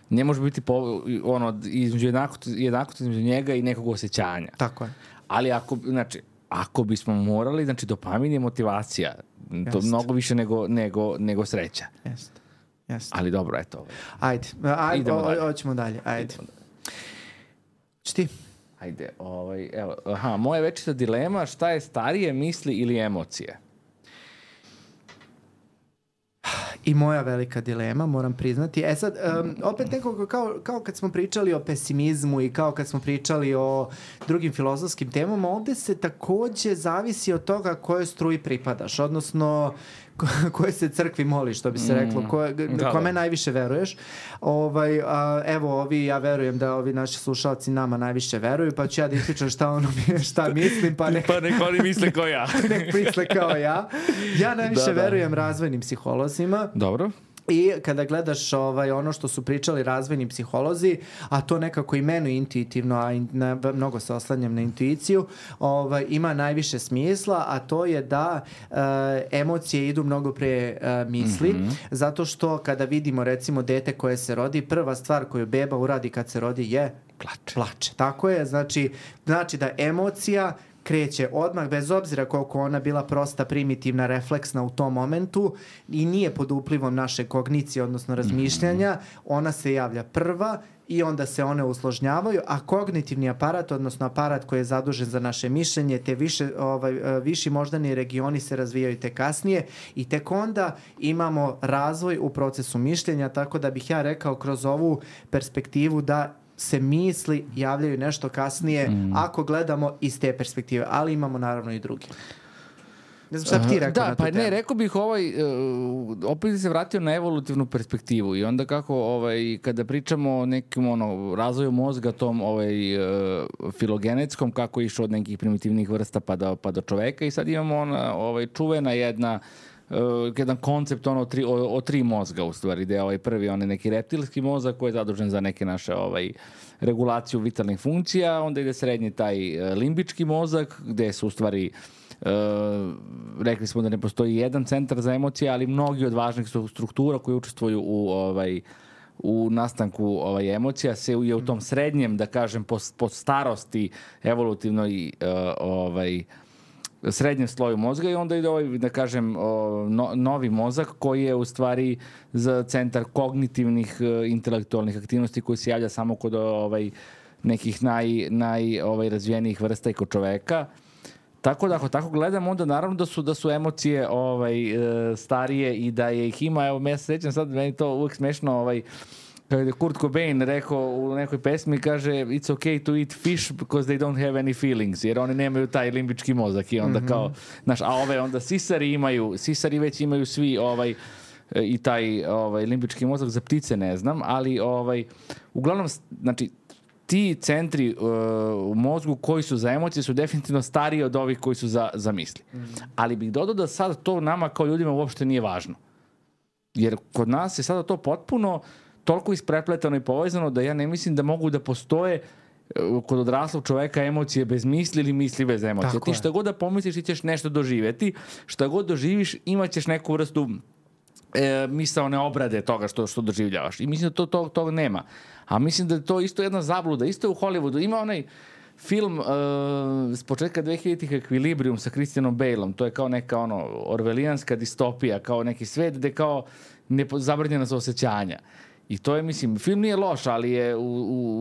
ne može biti po, ono, između jednakosti, jednakosti između njega i nekog osjećanja. Tako je. Ali ako, znači, ako bismo morali, znači dopamin je motivacija. To Jest. mnogo više nego, nego, nego sreća. Jeste. Jeste. Ali dobro, eto. Ajde, ajde, Idemo o, dalje. hoćemo dalje, ajde. Idemo dalje. Ti? Ajde, ovaj, evo, aha, moja večita dilema, šta je starije, misli ili emocije? I moja velika dilema, moram priznati. E sad, um, opet nekako kao, kao kad smo pričali o pesimizmu i kao kad smo pričali o drugim filozofskim temama, ovde se takođe zavisi od toga kojoj struji pripadaš, odnosno koje se crkvi moliš, što bi se reklo, koje, da, kome da. najviše veruješ. Ovaj, a, evo, ovi, ja verujem da ovi naši slušalci nama najviše veruju, pa ću ja da ispričam šta, ono, šta mislim, pa nek, pa nek oni misle kao ja. nek misle kao ja. Ja najviše da, da. verujem razvojnim psiholozima. Dobro. I kada gledaš ovaj, ono što su pričali razvojni psiholozi, a to nekako i meni intuitivno, a in, na, mnogo se oslanjam na intuiciju, ovaj, ima najviše smisla, a to je da e, emocije idu mnogo pre e, misli, mm-hmm. zato što kada vidimo recimo dete koje se rodi, prva stvar koju beba uradi kad se rodi je plače. plače. Tako je, znači, znači da emocija kreće odmah, bez obzira koliko ona bila prosta, primitivna, refleksna u tom momentu i nije pod uplivom naše kognicije, odnosno razmišljanja, ona se javlja prva i onda se one usložnjavaju, a kognitivni aparat, odnosno aparat koji je zadužen za naše mišljenje, te više, ovaj, viši moždani regioni se razvijaju te kasnije i tek onda imamo razvoj u procesu mišljenja, tako da bih ja rekao kroz ovu perspektivu da se misli javljaju nešto kasnije mm. ako gledamo iz te perspektive, ali imamo naravno i druge. Ne znam šta bi ti rekao da, na tu pa temu. ne, rekao bih ovaj, uh, opet se vratio na evolutivnu perspektivu i onda kako ovaj, kada pričamo o nekim ono, razvoju mozga tom ovaj, uh, filogenetskom, kako je išao od nekih primitivnih vrsta pa do, pa do čoveka i sad imamo ona ovaj, čuvena jedna Uh, jedan koncept ono, o, tri, o, o tri mozga u stvari, gde je ovaj prvi onaj neki reptilski mozak koji je zadužen za neke naše ovaj, regulaciju vitalnih funkcija, onda ide srednji taj uh, limbički mozak gde su u stvari uh, rekli smo da ne postoji jedan centar za emocije, ali mnogi od važnih struktura koji učestvuju u ovaj, u nastanku ovaj, emocija se je u tom srednjem, da kažem, po, po starosti evolutivnoj uh, ovaj srednjem sloju mozga i onda ide ovaj, da kažem, no, novi mozak koji je u stvari za centar kognitivnih intelektualnih aktivnosti koji se javlja samo kod ovaj, nekih naj, naj ovaj, razvijenijih vrsta i kod čoveka. Tako da ako tako gledamo, onda naravno da su, da su emocije ovaj, starije i da je ih ima. Evo, ja se sjećam sad, meni to uvijek smešno, ovaj, kada je Kurt Cobain rekao u nekoj pesmi, kaže it's okay to eat fish because they don't have any feelings, jer oni nemaju taj limbički mozak i onda mm-hmm. kao, znaš, a ove onda sisari imaju, sisari već imaju svi ovaj i taj ovaj limbički mozak, za ptice ne znam, ali ovaj uglavnom, znači, ti centri uh, u mozgu koji su za emocije su definitivno stariji od ovih koji su za, za misli. Mm-hmm. Ali bih dodao da sad to nama kao ljudima uopšte nije važno. Jer kod nas je sada to potpuno toliko isprepletano i povezano da ja ne mislim da mogu da postoje kod odraslog čoveka emocije bez misli ili misli bez emocije. Tako ti šta je. God da pomisliš ti ćeš nešto doživjeti, šta god doživiš imat ćeš neku vrstu e, misaone obrade toga što, što doživljavaš. I mislim da to, to, to nema. A mislim da je to isto jedna zabluda. Isto u Hollywoodu ima onaj film uh, s početka dvehiljaditih Equilibrium sa Christianom Baleom. To je kao neka ono orvelijanska distopija, kao neki svet gde kao nepo, zabranjena su osjećanja. I to je, mislim, film nije loš, ali je u,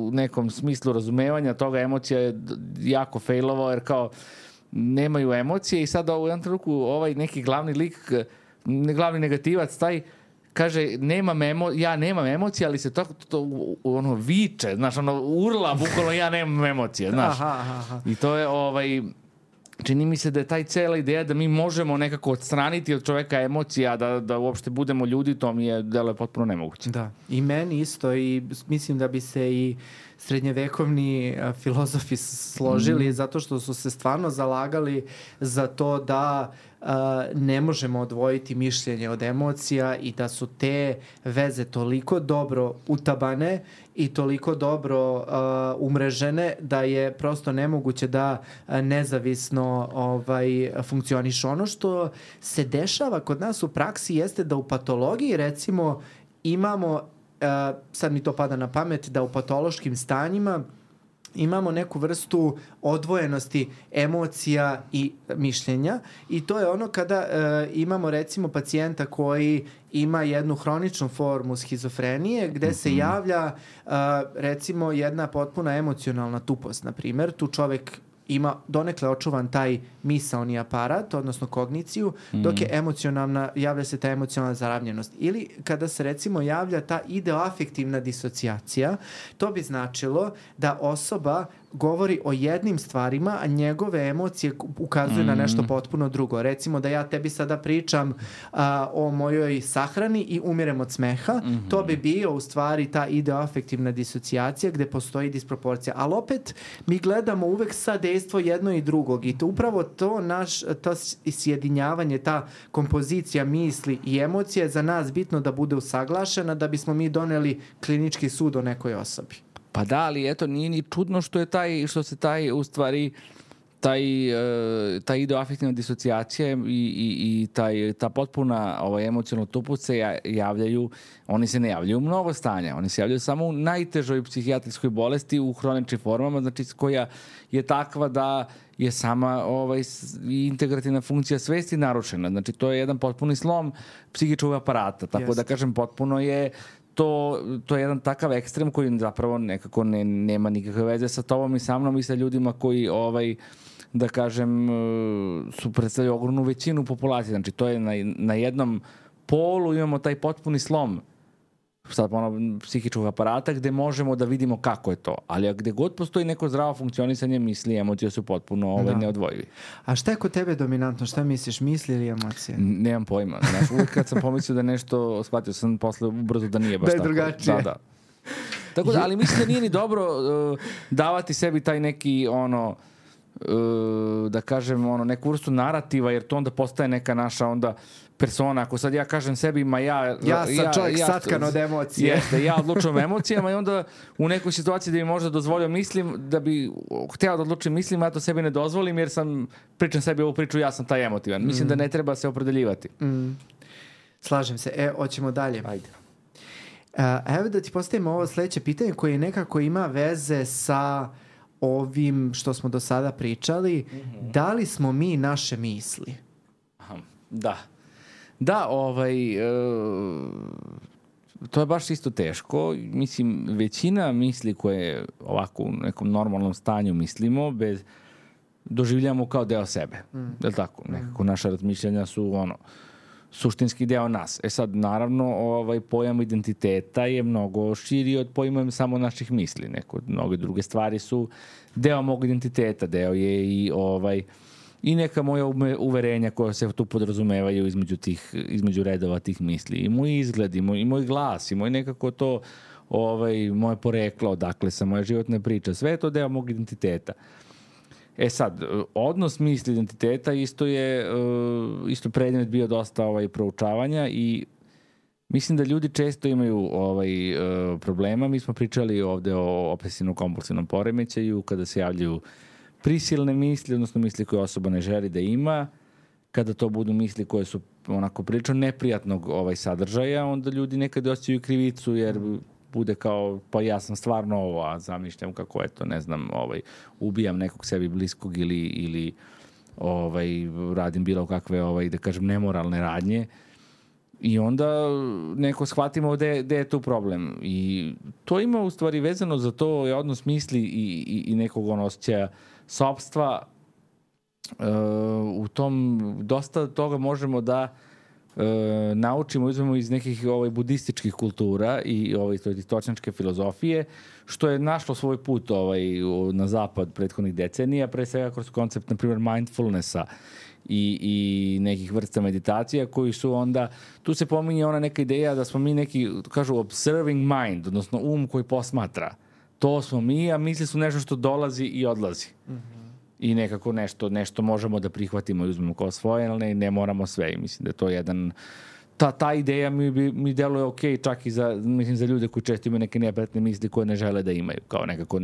u nekom smislu razumevanja toga emocija je jako failovao, jer kao nemaju emocije i sad u jednom trenutku ovaj neki glavni lik, glavni negativac, taj kaže, nemam emo, ja nemam emocije, ali se to, to ono viče, znaš, ono urla, bukvalno ja nemam emocije, znaš. Aha, aha. I to je ovaj... Čini mi se da je taj cela ideja da mi možemo nekako odstraniti od čoveka emocija, da, da uopšte budemo ljudi, to mi je delo je potpuno nemoguće. Da, i meni isto i mislim da bi se i srednjevekovni a, filozofi složili mm. zato što su se stvarno zalagali za to da a, ne možemo odvojiti mišljenje od emocija i da su te veze toliko dobro utabane i toliko dobro uh, umrežene da je prosto nemoguće da uh, nezavisno ovaj, funkcioniš. Ono što se dešava kod nas u praksi jeste da u patologiji recimo imamo, uh, sad mi to pada na pamet, da u patološkim stanjima imamo neku vrstu odvojenosti emocija i mišljenja i to je ono kada e, imamo recimo pacijenta koji ima jednu hroničnu formu schizofrenije gde se javlja e, recimo jedna potpuna emocionalna tupost, na primjer. Tu čovek ima donekle očuvan taj misaoni aparat, odnosno kogniciju, dok je emocionalna, javlja se ta emocionalna zaravljenost. Ili kada se recimo javlja ta ideoafektivna disocijacija, to bi značilo da osoba govori o jednim stvarima, a njegove emocije ukazuju mm. na nešto potpuno drugo. Recimo da ja tebi sada pričam a, o mojoj sahrani i umirem od smeha, mm-hmm. to bi bio u stvari ta ideoafektivna disocijacija gde postoji disproporcija. Ali opet mi gledamo uvek sa dejstvo jedno i drugog i to upravo to naš, to sjedinjavanje, ta kompozicija misli i emocije je za nas bitno da bude usaglašena da bismo mi doneli klinički sud o nekoj osobi. Pa da, ali eto, nije ni čudno što je taj, što se taj, u stvari, taj, uh, ta ideoafektivna disocijacija i, i, i taj, ta potpuna ovaj, emocionalna tupost se javljaju, oni se ne javljaju u mnogo stanja, oni se javljaju samo u najtežoj psihijatrijskoj bolesti, u hroničnim formama, znači koja je takva da je sama ovaj, integrativna funkcija svesti narušena. Znači, to je jedan potpuni slom psihičkog aparata, tako Jest. Da kažem, potpuno je To, to je jedan takav ekstrem koji zapravo nekako ne, nema nikakve veze sa tobom i sa mnom i sa ljudima koji, ovaj, da kažem, su predstavljaju ogromnu većinu populacije. Znači, to je na, na jednom polu imamo taj potpuni slom sad ono, psihičkog aparata gde možemo da vidimo kako je to. Ali gde god postoji neko zdravo funkcionisanje misli i emocije su potpuno ovaj, neodvojivi. A šta je kod tebe dominantno? Šta misliš? Misli ili emocije? N- nemam pojma. Znaš, uvijek kad sam pomislio da nešto, shvatio sam posle ubrzo da nije baš da je tako. Drugačije. Da, da. Tako da, ali mislim da nije ni dobro uh, davati sebi taj neki ono uh, da kažem ono neku vrstu narativa, jer to onda postaje neka naša onda persona. Ako sad ja kažem sebi, ma ja... Ja sam ja, čovjek ja, satkan od emocije. Jeste, ja odlučujem emocijama i onda u nekoj situaciji da bi možda dozvolio mislim, da bi hteo da odlučim mislim, ja to sebi ne dozvolim jer sam, pričam sebi ovu priču, ja sam taj emotivan. Mislim mm. da ne treba se opredeljivati. Mm. Slažem se. E, hoćemo dalje. Ajde. Uh, evo da ti postavimo ovo sledeće pitanje koje nekako ima veze sa ovim što smo do sada pričali. Mm-hmm. Da li smo mi naše misli? Aha, da. Da, ovaj, e, to je baš isto teško. Mislim, većina misli koje ovako u nekom normalnom stanju mislimo, bez, doživljamo kao deo sebe. Mm. Je li tako? Nekako naša razmišljanja su ono, suštinski deo nas. E sad, naravno, ovaj pojam identiteta je mnogo širi od pojma samo naših misli. Neko, mnoge druge stvari su deo mog identiteta, deo je i ovaj... i neka moja uverenja koja se tu podrazumevaju između tih, između redova tih misli. I moj izgled, i moj, i moj glas, i moj nekako to, ovaj, moje poreklo, odakle sam, moja životna priča, sve je to deo mog identiteta. E sad, odnos misli identiteta isto je, isto predmet bio dosta ovaj, proučavanja i mislim da ljudi često imaju ovaj, problema. Mi smo pričali ovde o obsesivno-kompulsivnom poremećaju, kada se javljaju prisilne misli, odnosno misli koje osoba ne želi da ima, kada to budu misli koje su onako prilično neprijatnog ovaj, sadržaja, onda ljudi nekad osjećaju krivicu jer bude kao, pa ja sam stvarno ovo, a zamišljam kako je to, ne znam, ovaj, ubijam nekog sebi bliskog ili, ili ovaj, radim bilo kakve, ovaj, da kažem, nemoralne radnje. I onda neko shvatimo gde, gde je tu problem. I to ima u stvari vezano za to je odnos misli i, i, i nekog ono osjećaja sopstva. Uh, u tom dosta toga možemo da uh, naučimo, uzmemo iz nekih ovaj, budističkih kultura i ovaj, stočnjačke filozofije, što je našlo svoj put ovaj, na zapad prethodnih decenija, pre svega kroz koncept, na primjer, mindfulnessa i, i nekih vrsta meditacija koji su onda, tu se pominje ona neka ideja da smo mi neki, kažu, observing mind, odnosno um koji posmatra. To smo mi, a misli su nešto što dolazi i odlazi. Mm-hmm. I nekako nešto, nešto možemo da prihvatimo i uzmemo kao svoje, ali ne, ne moramo sve. I mislim da je to jedan... Ta, ta ideja mi, mi deluje ok čak i za, mislim, za ljude koji često imaju neke neprijatne misli koje ne žele da imaju. Kao nekako,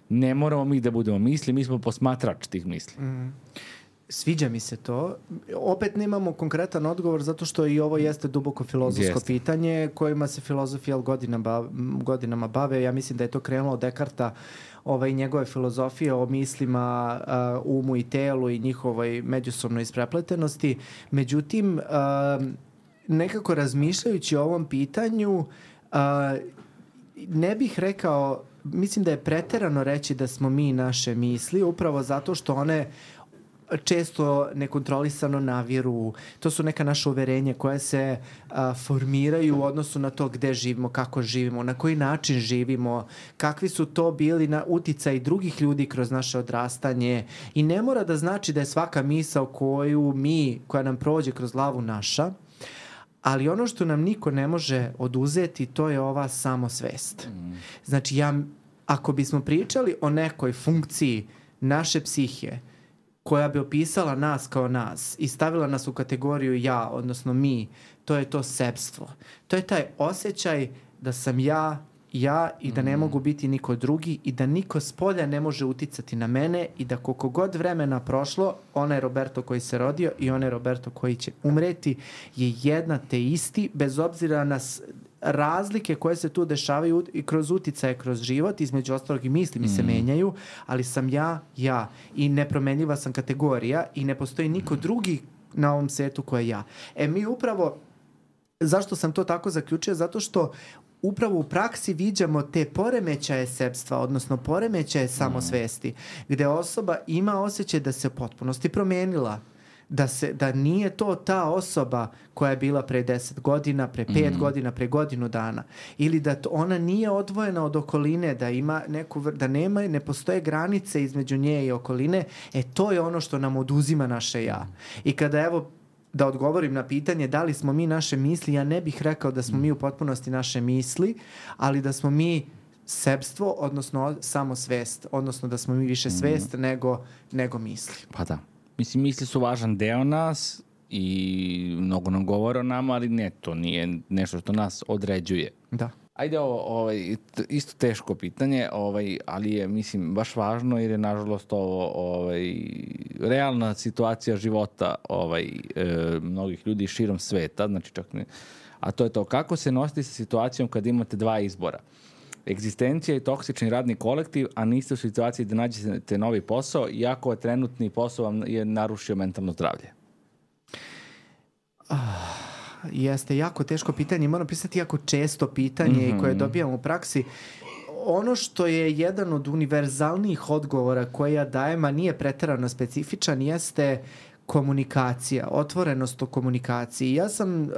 ne moramo mi da budemo misli, mi smo posmatrač tih misli. Mm. Sviđa mi se to. Opet nemamo konkretan odgovor zato što i ovo jeste duboko filozofsko Jeste. pitanje kojima se filozofija godinama, godinama bave. Ja mislim da je to krenulo od Dekarta, ovaj, njegove filozofije o mislima, uh, umu i telu i njihovoj međusobnoj isprepletenosti. Međutim, uh, nekako razmišljajući o ovom pitanju, uh, ne bih rekao, mislim da je preterano reći da smo mi naše misli, upravo zato što one često nekontrolisano naviru. To su neka naša uverenja koje se a, formiraju u odnosu na to gde živimo, kako živimo, na koji način živimo, kakvi su to bili na uticaj drugih ljudi kroz naše odrastanje. I ne mora da znači da je svaka misao koju mi, koja nam prođe kroz glavu naša, ali ono što nam niko ne može oduzeti, to je ova samosvest. Mm. Znači, ja, ako bismo pričali o nekoj funkciji naše psihe, koja bi opisala nas kao nas i stavila nas u kategoriju ja, odnosno mi, to je to sebstvo. To je taj osjećaj da sam ja, ja i da ne mogu biti niko drugi i da niko s polja ne može uticati na mene i da koliko god vremena prošlo, onaj Roberto koji se rodio i onaj Roberto koji će umreti je jedna te isti, bez obzira na razlike koje se tu dešavaju i kroz uticaje, kroz život, između ostalog i misli mi se mm. menjaju, ali sam ja, ja i nepromenljiva sam kategorija i ne postoji niko drugi na ovom svetu ko je ja. E mi upravo, zašto sam to tako zaključio? Zato što upravo u praksi viđamo te poremećaje sebstva, odnosno poremećaje samosvesti, gde osoba ima osjećaj da se u potpunosti promenila. Da, se, da nije to ta osoba koja je bila pre deset godina, pre pet mm. godina, pre godinu dana. Ili da to, ona nije odvojena od okoline, da ima neku, da nema, ne postoje granice između nje i okoline. E to je ono što nam oduzima naše ja. I kada evo, da odgovorim na pitanje da li smo mi naše misli, ja ne bih rekao da smo mi u potpunosti naše misli, ali da smo mi sebstvo, odnosno samosvest, odnosno da smo mi više svest mm. nego, nego misli. Pa da. Mislim, misli su važan deo nas i mnogo nam govore o nama, ali ne, to nije nešto što nas određuje. Da. Ajde, ovo, ovaj, isto teško pitanje, ovaj, ali je, mislim, baš važno jer je, nažalost, ovo ovaj, realna situacija života ovaj, e, mnogih ljudi širom sveta, znači čak ne, a to je to kako se nositi sa situacijom kad imate dva izbora. Egzistencija i toksični radni kolektiv, a niste u situaciji da nađete novi posao, iako je trenutni posao vam je narušio mentalno zdravlje. Ah, jeste jako teško pitanje. Moram pisati jako često pitanje mm-hmm. koje dobijam u praksi. Ono što je jedan od univerzalnijih odgovora koje ja dajem, a nije preterano specifičan, jeste komunikacija, otvorenost o komunikaciji. Ja sam uh,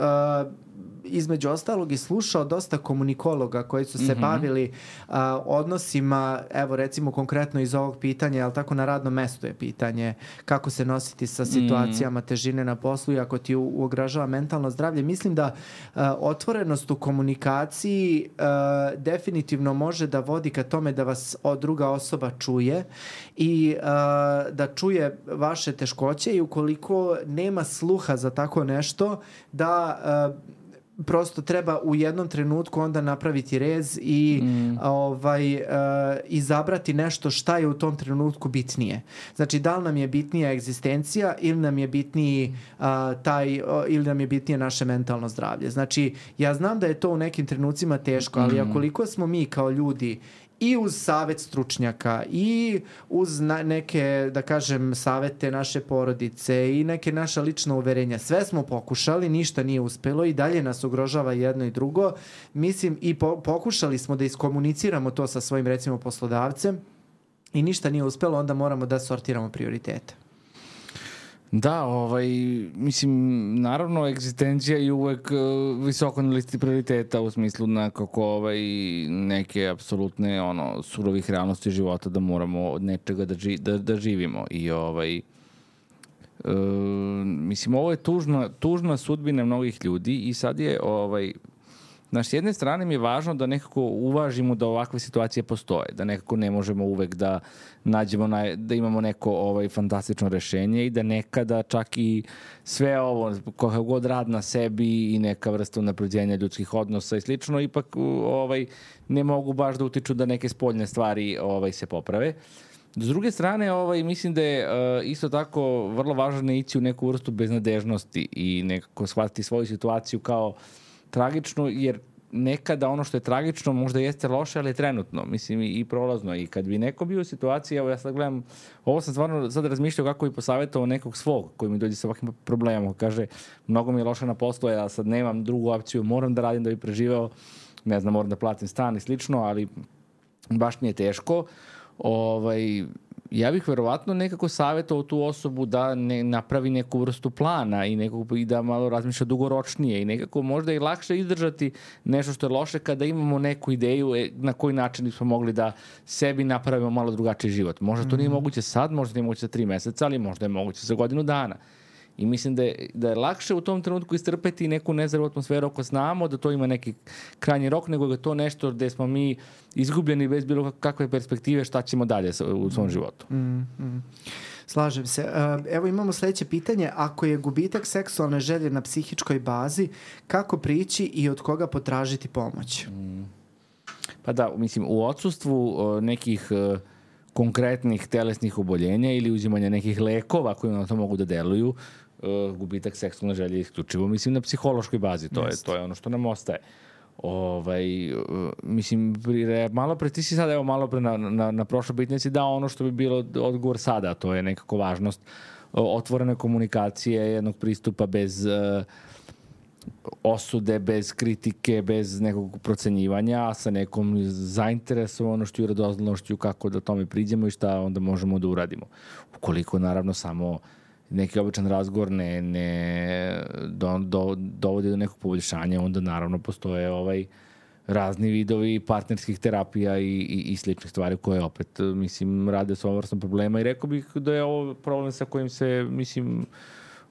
između ostalog i slušao dosta komunikologa koji su se mm-hmm. bavili uh, odnosima, evo recimo konkretno iz ovog pitanja, ali tako na radnom mestu je pitanje kako se nositi sa situacijama mm-hmm. težine na poslu i ako ti u, ugrožava mentalno zdravlje. Mislim da uh, otvorenost u komunikaciji uh, definitivno može da vodi ka tome da vas druga osoba čuje i uh, da čuje vaše teškoće i ukoliko nema sluha za tako nešto, da uh, prosto treba u jednom trenutku onda napraviti rez i mm. ovaj, uh, izabrati nešto šta je u tom trenutku bitnije. Znači, da li nam je bitnija egzistencija ili nam je bitniji uh, taj, uh, ili nam je bitnije naše mentalno zdravlje. Znači, ja znam da je to u nekim trenucima teško, ali mm. koliko smo mi kao ljudi i uz savet stručnjaka i uz na, neke, da kažem, savete naše porodice i neke naša lična uverenja. Sve smo pokušali, ništa nije uspelo i dalje nas ugrožava jedno i drugo. Mislim, i po, pokušali smo da iskomuniciramo to sa svojim, recimo, poslodavcem i ništa nije uspelo, onda moramo da sortiramo prioritete. Da, ovaj, mislim, naravno, egzistencija je uvek uh, visoko na listi prioriteta u smislu nekako ovaj, neke apsolutne ono, surovih realnosti života da moramo od nečega da, ži, da, da živimo. I ovaj, uh, mislim, ovo je tužna, tužna sudbina mnogih ljudi i sad je ovaj, znaš, s jedne strane mi je važno da nekako uvažimo da ovakve situacije postoje, da nekako ne možemo uvek da nađemo, na, da imamo neko ovaj, fantastično rešenje i da nekada čak i sve ovo, kako god rad na sebi i neka vrsta unapređenja ljudskih odnosa i slično, ipak ovaj, ne mogu baš da utiču da neke spoljne stvari ovaj, se poprave. S druge strane, ovaj, mislim da je uh, isto tako vrlo važno ne ići u neku vrstu beznadežnosti i nekako shvatiti svoju situaciju kao tragičnu, jer nekada ono što je tragično možda jeste loše, ali je trenutno, mislim, i, i prolazno. I kad bi neko bio u situaciji, evo ja sad gledam, ovo sam stvarno sad razmišljao kako bi posavjetovao nekog svog koji mi dođe sa ovakvim problemom. Kaže, mnogo mi je loše na poslu, ja sad nemam drugu opciju, moram da radim da bi preživeo, ne znam, moram da platim stan i slično, ali baš mi je teško. Ovaj, ja bih verovatno nekako savjetovao tu osobu da ne napravi neku vrstu plana i, nekako, i da malo razmišlja dugoročnije i nekako možda i lakše izdržati nešto što je loše kada imamo neku ideju na koji način smo mogli da sebi napravimo malo drugačiji život. Možda to nije moguće sad, možda nije moguće za tri meseca, ali možda je moguće za godinu dana. I mislim da je, da je lakše u tom trenutku istrpeti neku nezdravu atmosferu ako znamo da to ima neki krajnji rok, nego da je to nešto gde smo mi izgubljeni bez bilo kakve perspektive šta ćemo dalje u svom životu. Mm, mm. Slažem se. Evo imamo sledeće pitanje. Ako je gubitak seksualne želje na psihičkoj bazi, kako prići i od koga potražiti pomoć? Mm. Pa da, mislim, u odsustvu nekih konkretnih telesnih oboljenja ili uzimanja nekih lekova koji na to mogu da deluju, Uh, gubitak seksualne želje isključivo, mislim, na psihološkoj bazi. To je, to je ono što nam ostaje. Ovaj, uh, mislim, pri, malo pre, ti si sad, evo, malo pre na, na, na prošloj pitanje si dao ono što bi bilo odgovor sada, to je nekako važnost uh, otvorene komunikacije, jednog pristupa bez uh, osude, bez kritike, bez nekog procenjivanja, sa nekom zainteresovanošću i radoznalošću kako da tome priđemo i šta onda možemo da uradimo. Ukoliko, naravno, samo neki običan razgovor ne, ne do, do, dovodi do nekog poboljšanja, onda naravno postoje ovaj razni vidovi partnerskih terapija i, i, i sličnih stvari koje opet, mislim, rade s ovom vrstom problema i rekao bih da je ovo problem sa kojim se, mislim,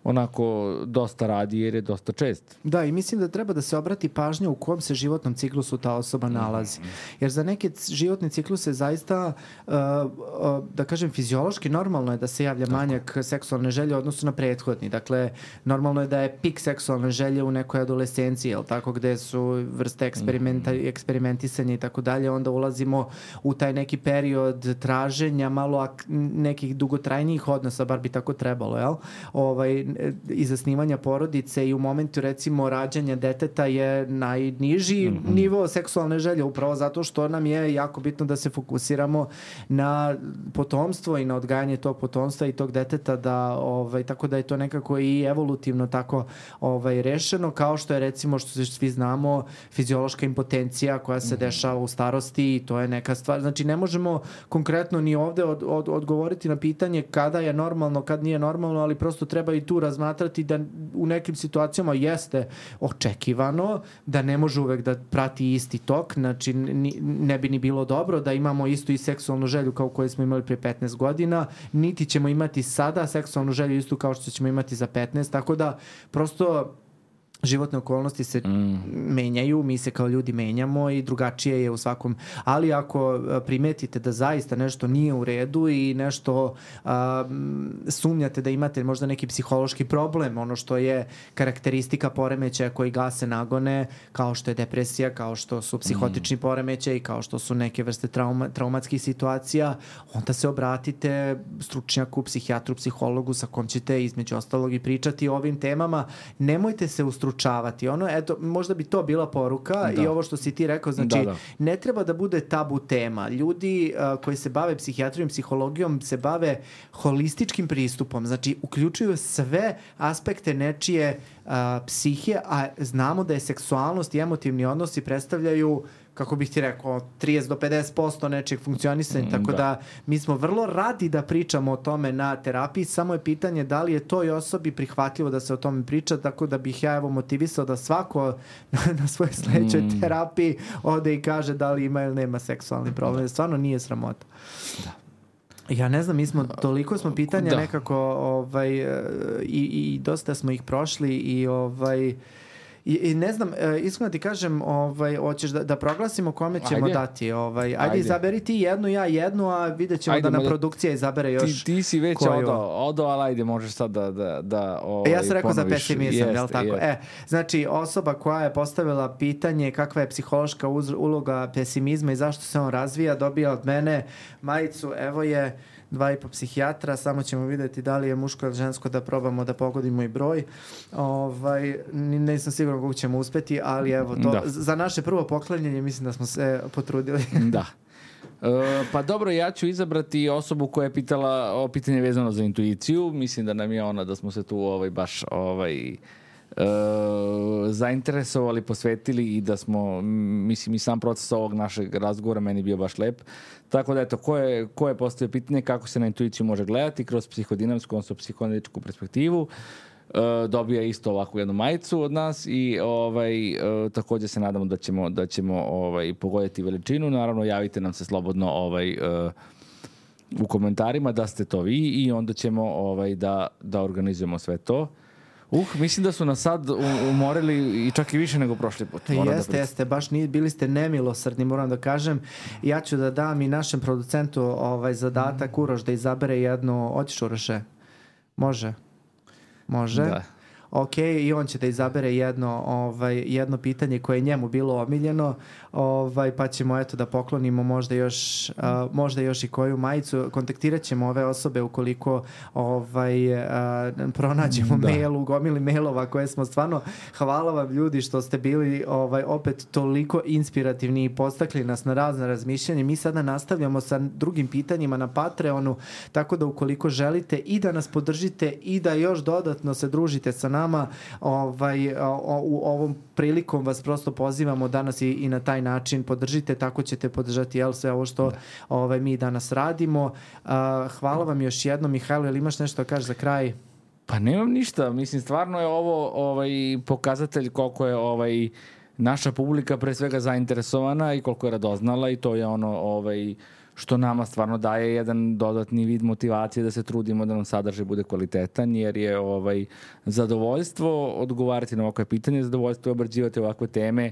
onako dosta radi jer je dosta čest. Da, i mislim da treba da se obrati pažnja u kom se životnom ciklusu ta osoba nalazi. Jer za neke životne cikluse zaista, uh, uh, da kažem, fiziološki normalno je da se javlja manjak seksualne želje u odnosu na prethodni. Dakle, normalno je da je pik seksualne želje u nekoj adolescenciji, jel tako, gde su vrste eksperimenta, eksperimentisanja i tako dalje, onda ulazimo u taj neki period traženja malo ak- nekih dugotrajnijih odnosa, bar bi tako trebalo, jel? Ovaj, i zasnivanja porodice i u momentu recimo rađanja deteta je najniži mm-hmm. nivo seksualne želje, upravo zato što nam je jako bitno da se fokusiramo na potomstvo i na odgajanje tog potomstva i tog deteta, da ovaj tako da je to nekako i evolutivno tako ovaj rešeno, kao što je recimo, što svi znamo, fiziološka impotencija koja se mm-hmm. dešava u starosti i to je neka stvar. Znači ne možemo konkretno ni ovde od, od, odgovoriti na pitanje kada je normalno, kad nije normalno, ali prosto treba i tu razmatrati da u nekim situacijama jeste očekivano, da ne može uvek da prati isti tok, znači ne bi ni bilo dobro da imamo istu i seksualnu želju kao koju smo imali pre petnaest godina, niti ćemo imati sada seksualnu želju istu kao što ćemo imati za petnaest, tako da prosto životne okolnosti se mm. menjaju, mi se kao ljudi menjamo i drugačije je u svakom, ali ako primetite da zaista nešto nije u redu i nešto a, sumnjate da imate možda neki psihološki problem, ono što je karakteristika poremećaja koji gase nagone, kao što je depresija, kao što su psihotični mm. poremećaji, kao što su neke vrste trauma, traumatskih situacija, onda se obratite stručnjaku, psihijatru, psihologu sa kom ćete između ostalog i pričati o ovim temama. Nemojte se ustručavati. Ono, eto, možda bi to bila poruka da. I ovo što si ti rekao, znači, da, da. Ne treba da bude tabu tema. Ljudi uh, koji se bave psihijatrijom, psihologijom, se bave holističkim pristupom, znači, uključuju sve aspekte nečije uh, psihe, a znamo da je seksualnost i emotivni odnosi predstavljaju, kako bih ti rekao, trideset do pedeset posto nečeg funkcionisanja, mm, tako da. da mi smo vrlo radi da pričamo o tome na terapiji, samo je pitanje da li je toj osobi prihvatljivo da se o tome priča, tako da bih ja evo motivisao da svako na svojoj sledećoj mm. terapiji ode i kaže da li ima ili nema seksualni problem. Da. Stvarno nije sramota. Da. Ja ne znam, mi smo, toliko smo pitanja da. nekako ovaj, i, i dosta smo ih prošli i ovaj I, i ne znam, e, iskreno ti kažem, ovaj, hoćeš da, da proglasimo kome ćemo Ajde. dati. Ovaj, ajde, Ajde. izaberi ti jednu, ja jednu, a vidjet ćemo Ajde, da nam možda- produkcija izabere još Ti, ti si već koju. odao, odao, ali ajde, možeš sad da, da, da ovaj, E, ja sam rekao za ponoviš. pesimizam, Jeste, jel tako? jeste. E, znači, osoba koja je postavila pitanje kakva je psihološka uz- uloga pesimizma i zašto se on razvija, dobija od mene majicu, evo je, dva i po psihijatra, samo ćemo vidjeti da li je muško ili žensko da probamo da pogodimo i broj. Ovaj, ni- nisam siguran kako ćemo uspeti, ali evo, to, Da. za naše prvo poklanjanje mislim da smo se potrudili. Da. E, pa dobro, ja ću izabrati osobu koja je pitala o pitanje vezano za intuiciju. Mislim da nam je ona, da smo se tu ovaj, baš ovaj, e, zainteresovali, posvetili i da smo, mislim, i sam proces ovog našeg razgovora meni bio baš lep. Tako da, eto, ko je, ko je postavio pitanje kako se na intuiciju može gledati kroz psihodinamsku, odnosno psihoanalitičku perspektivu, e, dobija isto ovakvu jednu majicu od nas i ovaj, e, također se nadamo da ćemo, da ćemo ovaj, pogoditi veličinu. Naravno, javite nam se slobodno ovaj, e, u komentarima da ste to vi i onda ćemo ovaj, da, da organizujemo sve to. Uh, mislim da su nas sad u- umorili i čak i više nego prošli put. Moram da Jeste, priznam. jeste, baš ni, bili ste nemilosrdni, moram da kažem. Ja ću da dam i našem producentu ovaj zadatak, Uroš, da izabere jednu, hoćeš Uroše? Može? Može? Da. Ok, i on će da izabere jedno, ovaj, jedno pitanje koje je njemu bilo omiljeno, ovaj, pa ćemo eto da poklonimo možda još, a, možda još i koju majicu. Kontaktirat ćemo ove osobe ukoliko ovaj, a, pronađemo Da. mail, u gomili mailova koje smo stvarno, hvala vam ljudi što ste bili ovaj, opet toliko inspirativni i postakli nas na razne razmišljanje. Mi sada nastavljamo sa drugim pitanjima na Patreonu, tako da ukoliko želite i da nas podržite i da još dodatno se družite sa nama, ovaj, o, o, u ovom prilikom vas prosto pozivamo danas i, i na taj način podržite, tako ćete podržati jel, sve ovo što ovaj, mi danas radimo. A, hvala vam još jednom. Mihajlo, jel imaš nešto da kažeš za kraj? Pa nemam ništa, mislim stvarno je ovo ovaj pokazatelj koliko je ovaj naša publika pre svega zainteresovana i koliko je radoznala i to je ono ovaj što nama stvarno daje jedan dodatni vid motivacije da se trudimo da nam sadržaj bude kvalitetan, jer je ovaj zadovoljstvo odgovarati na ovakve pitanje, zadovoljstvo je obrađivati ovakve teme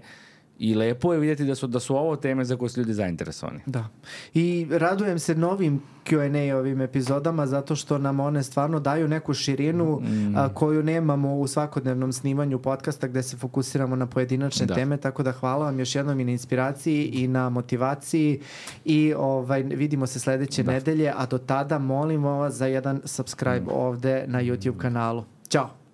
i lepo je vidjeti da su, da su ovo teme za koje su ljudi zainteresovani. Da. I radujem se novim Q and A ovim epizodama zato što nam one stvarno daju neku širinu Mm. a, koju nemamo u svakodnevnom snimanju podcasta gde se fokusiramo na pojedinačne Da. teme, tako da hvala vam još jednom i na inspiraciji i na motivaciji i ovaj, vidimo se sledeće Da. nedelje, a do tada molimo vas za jedan subscribe ovde na YouTube kanalu. Ćao!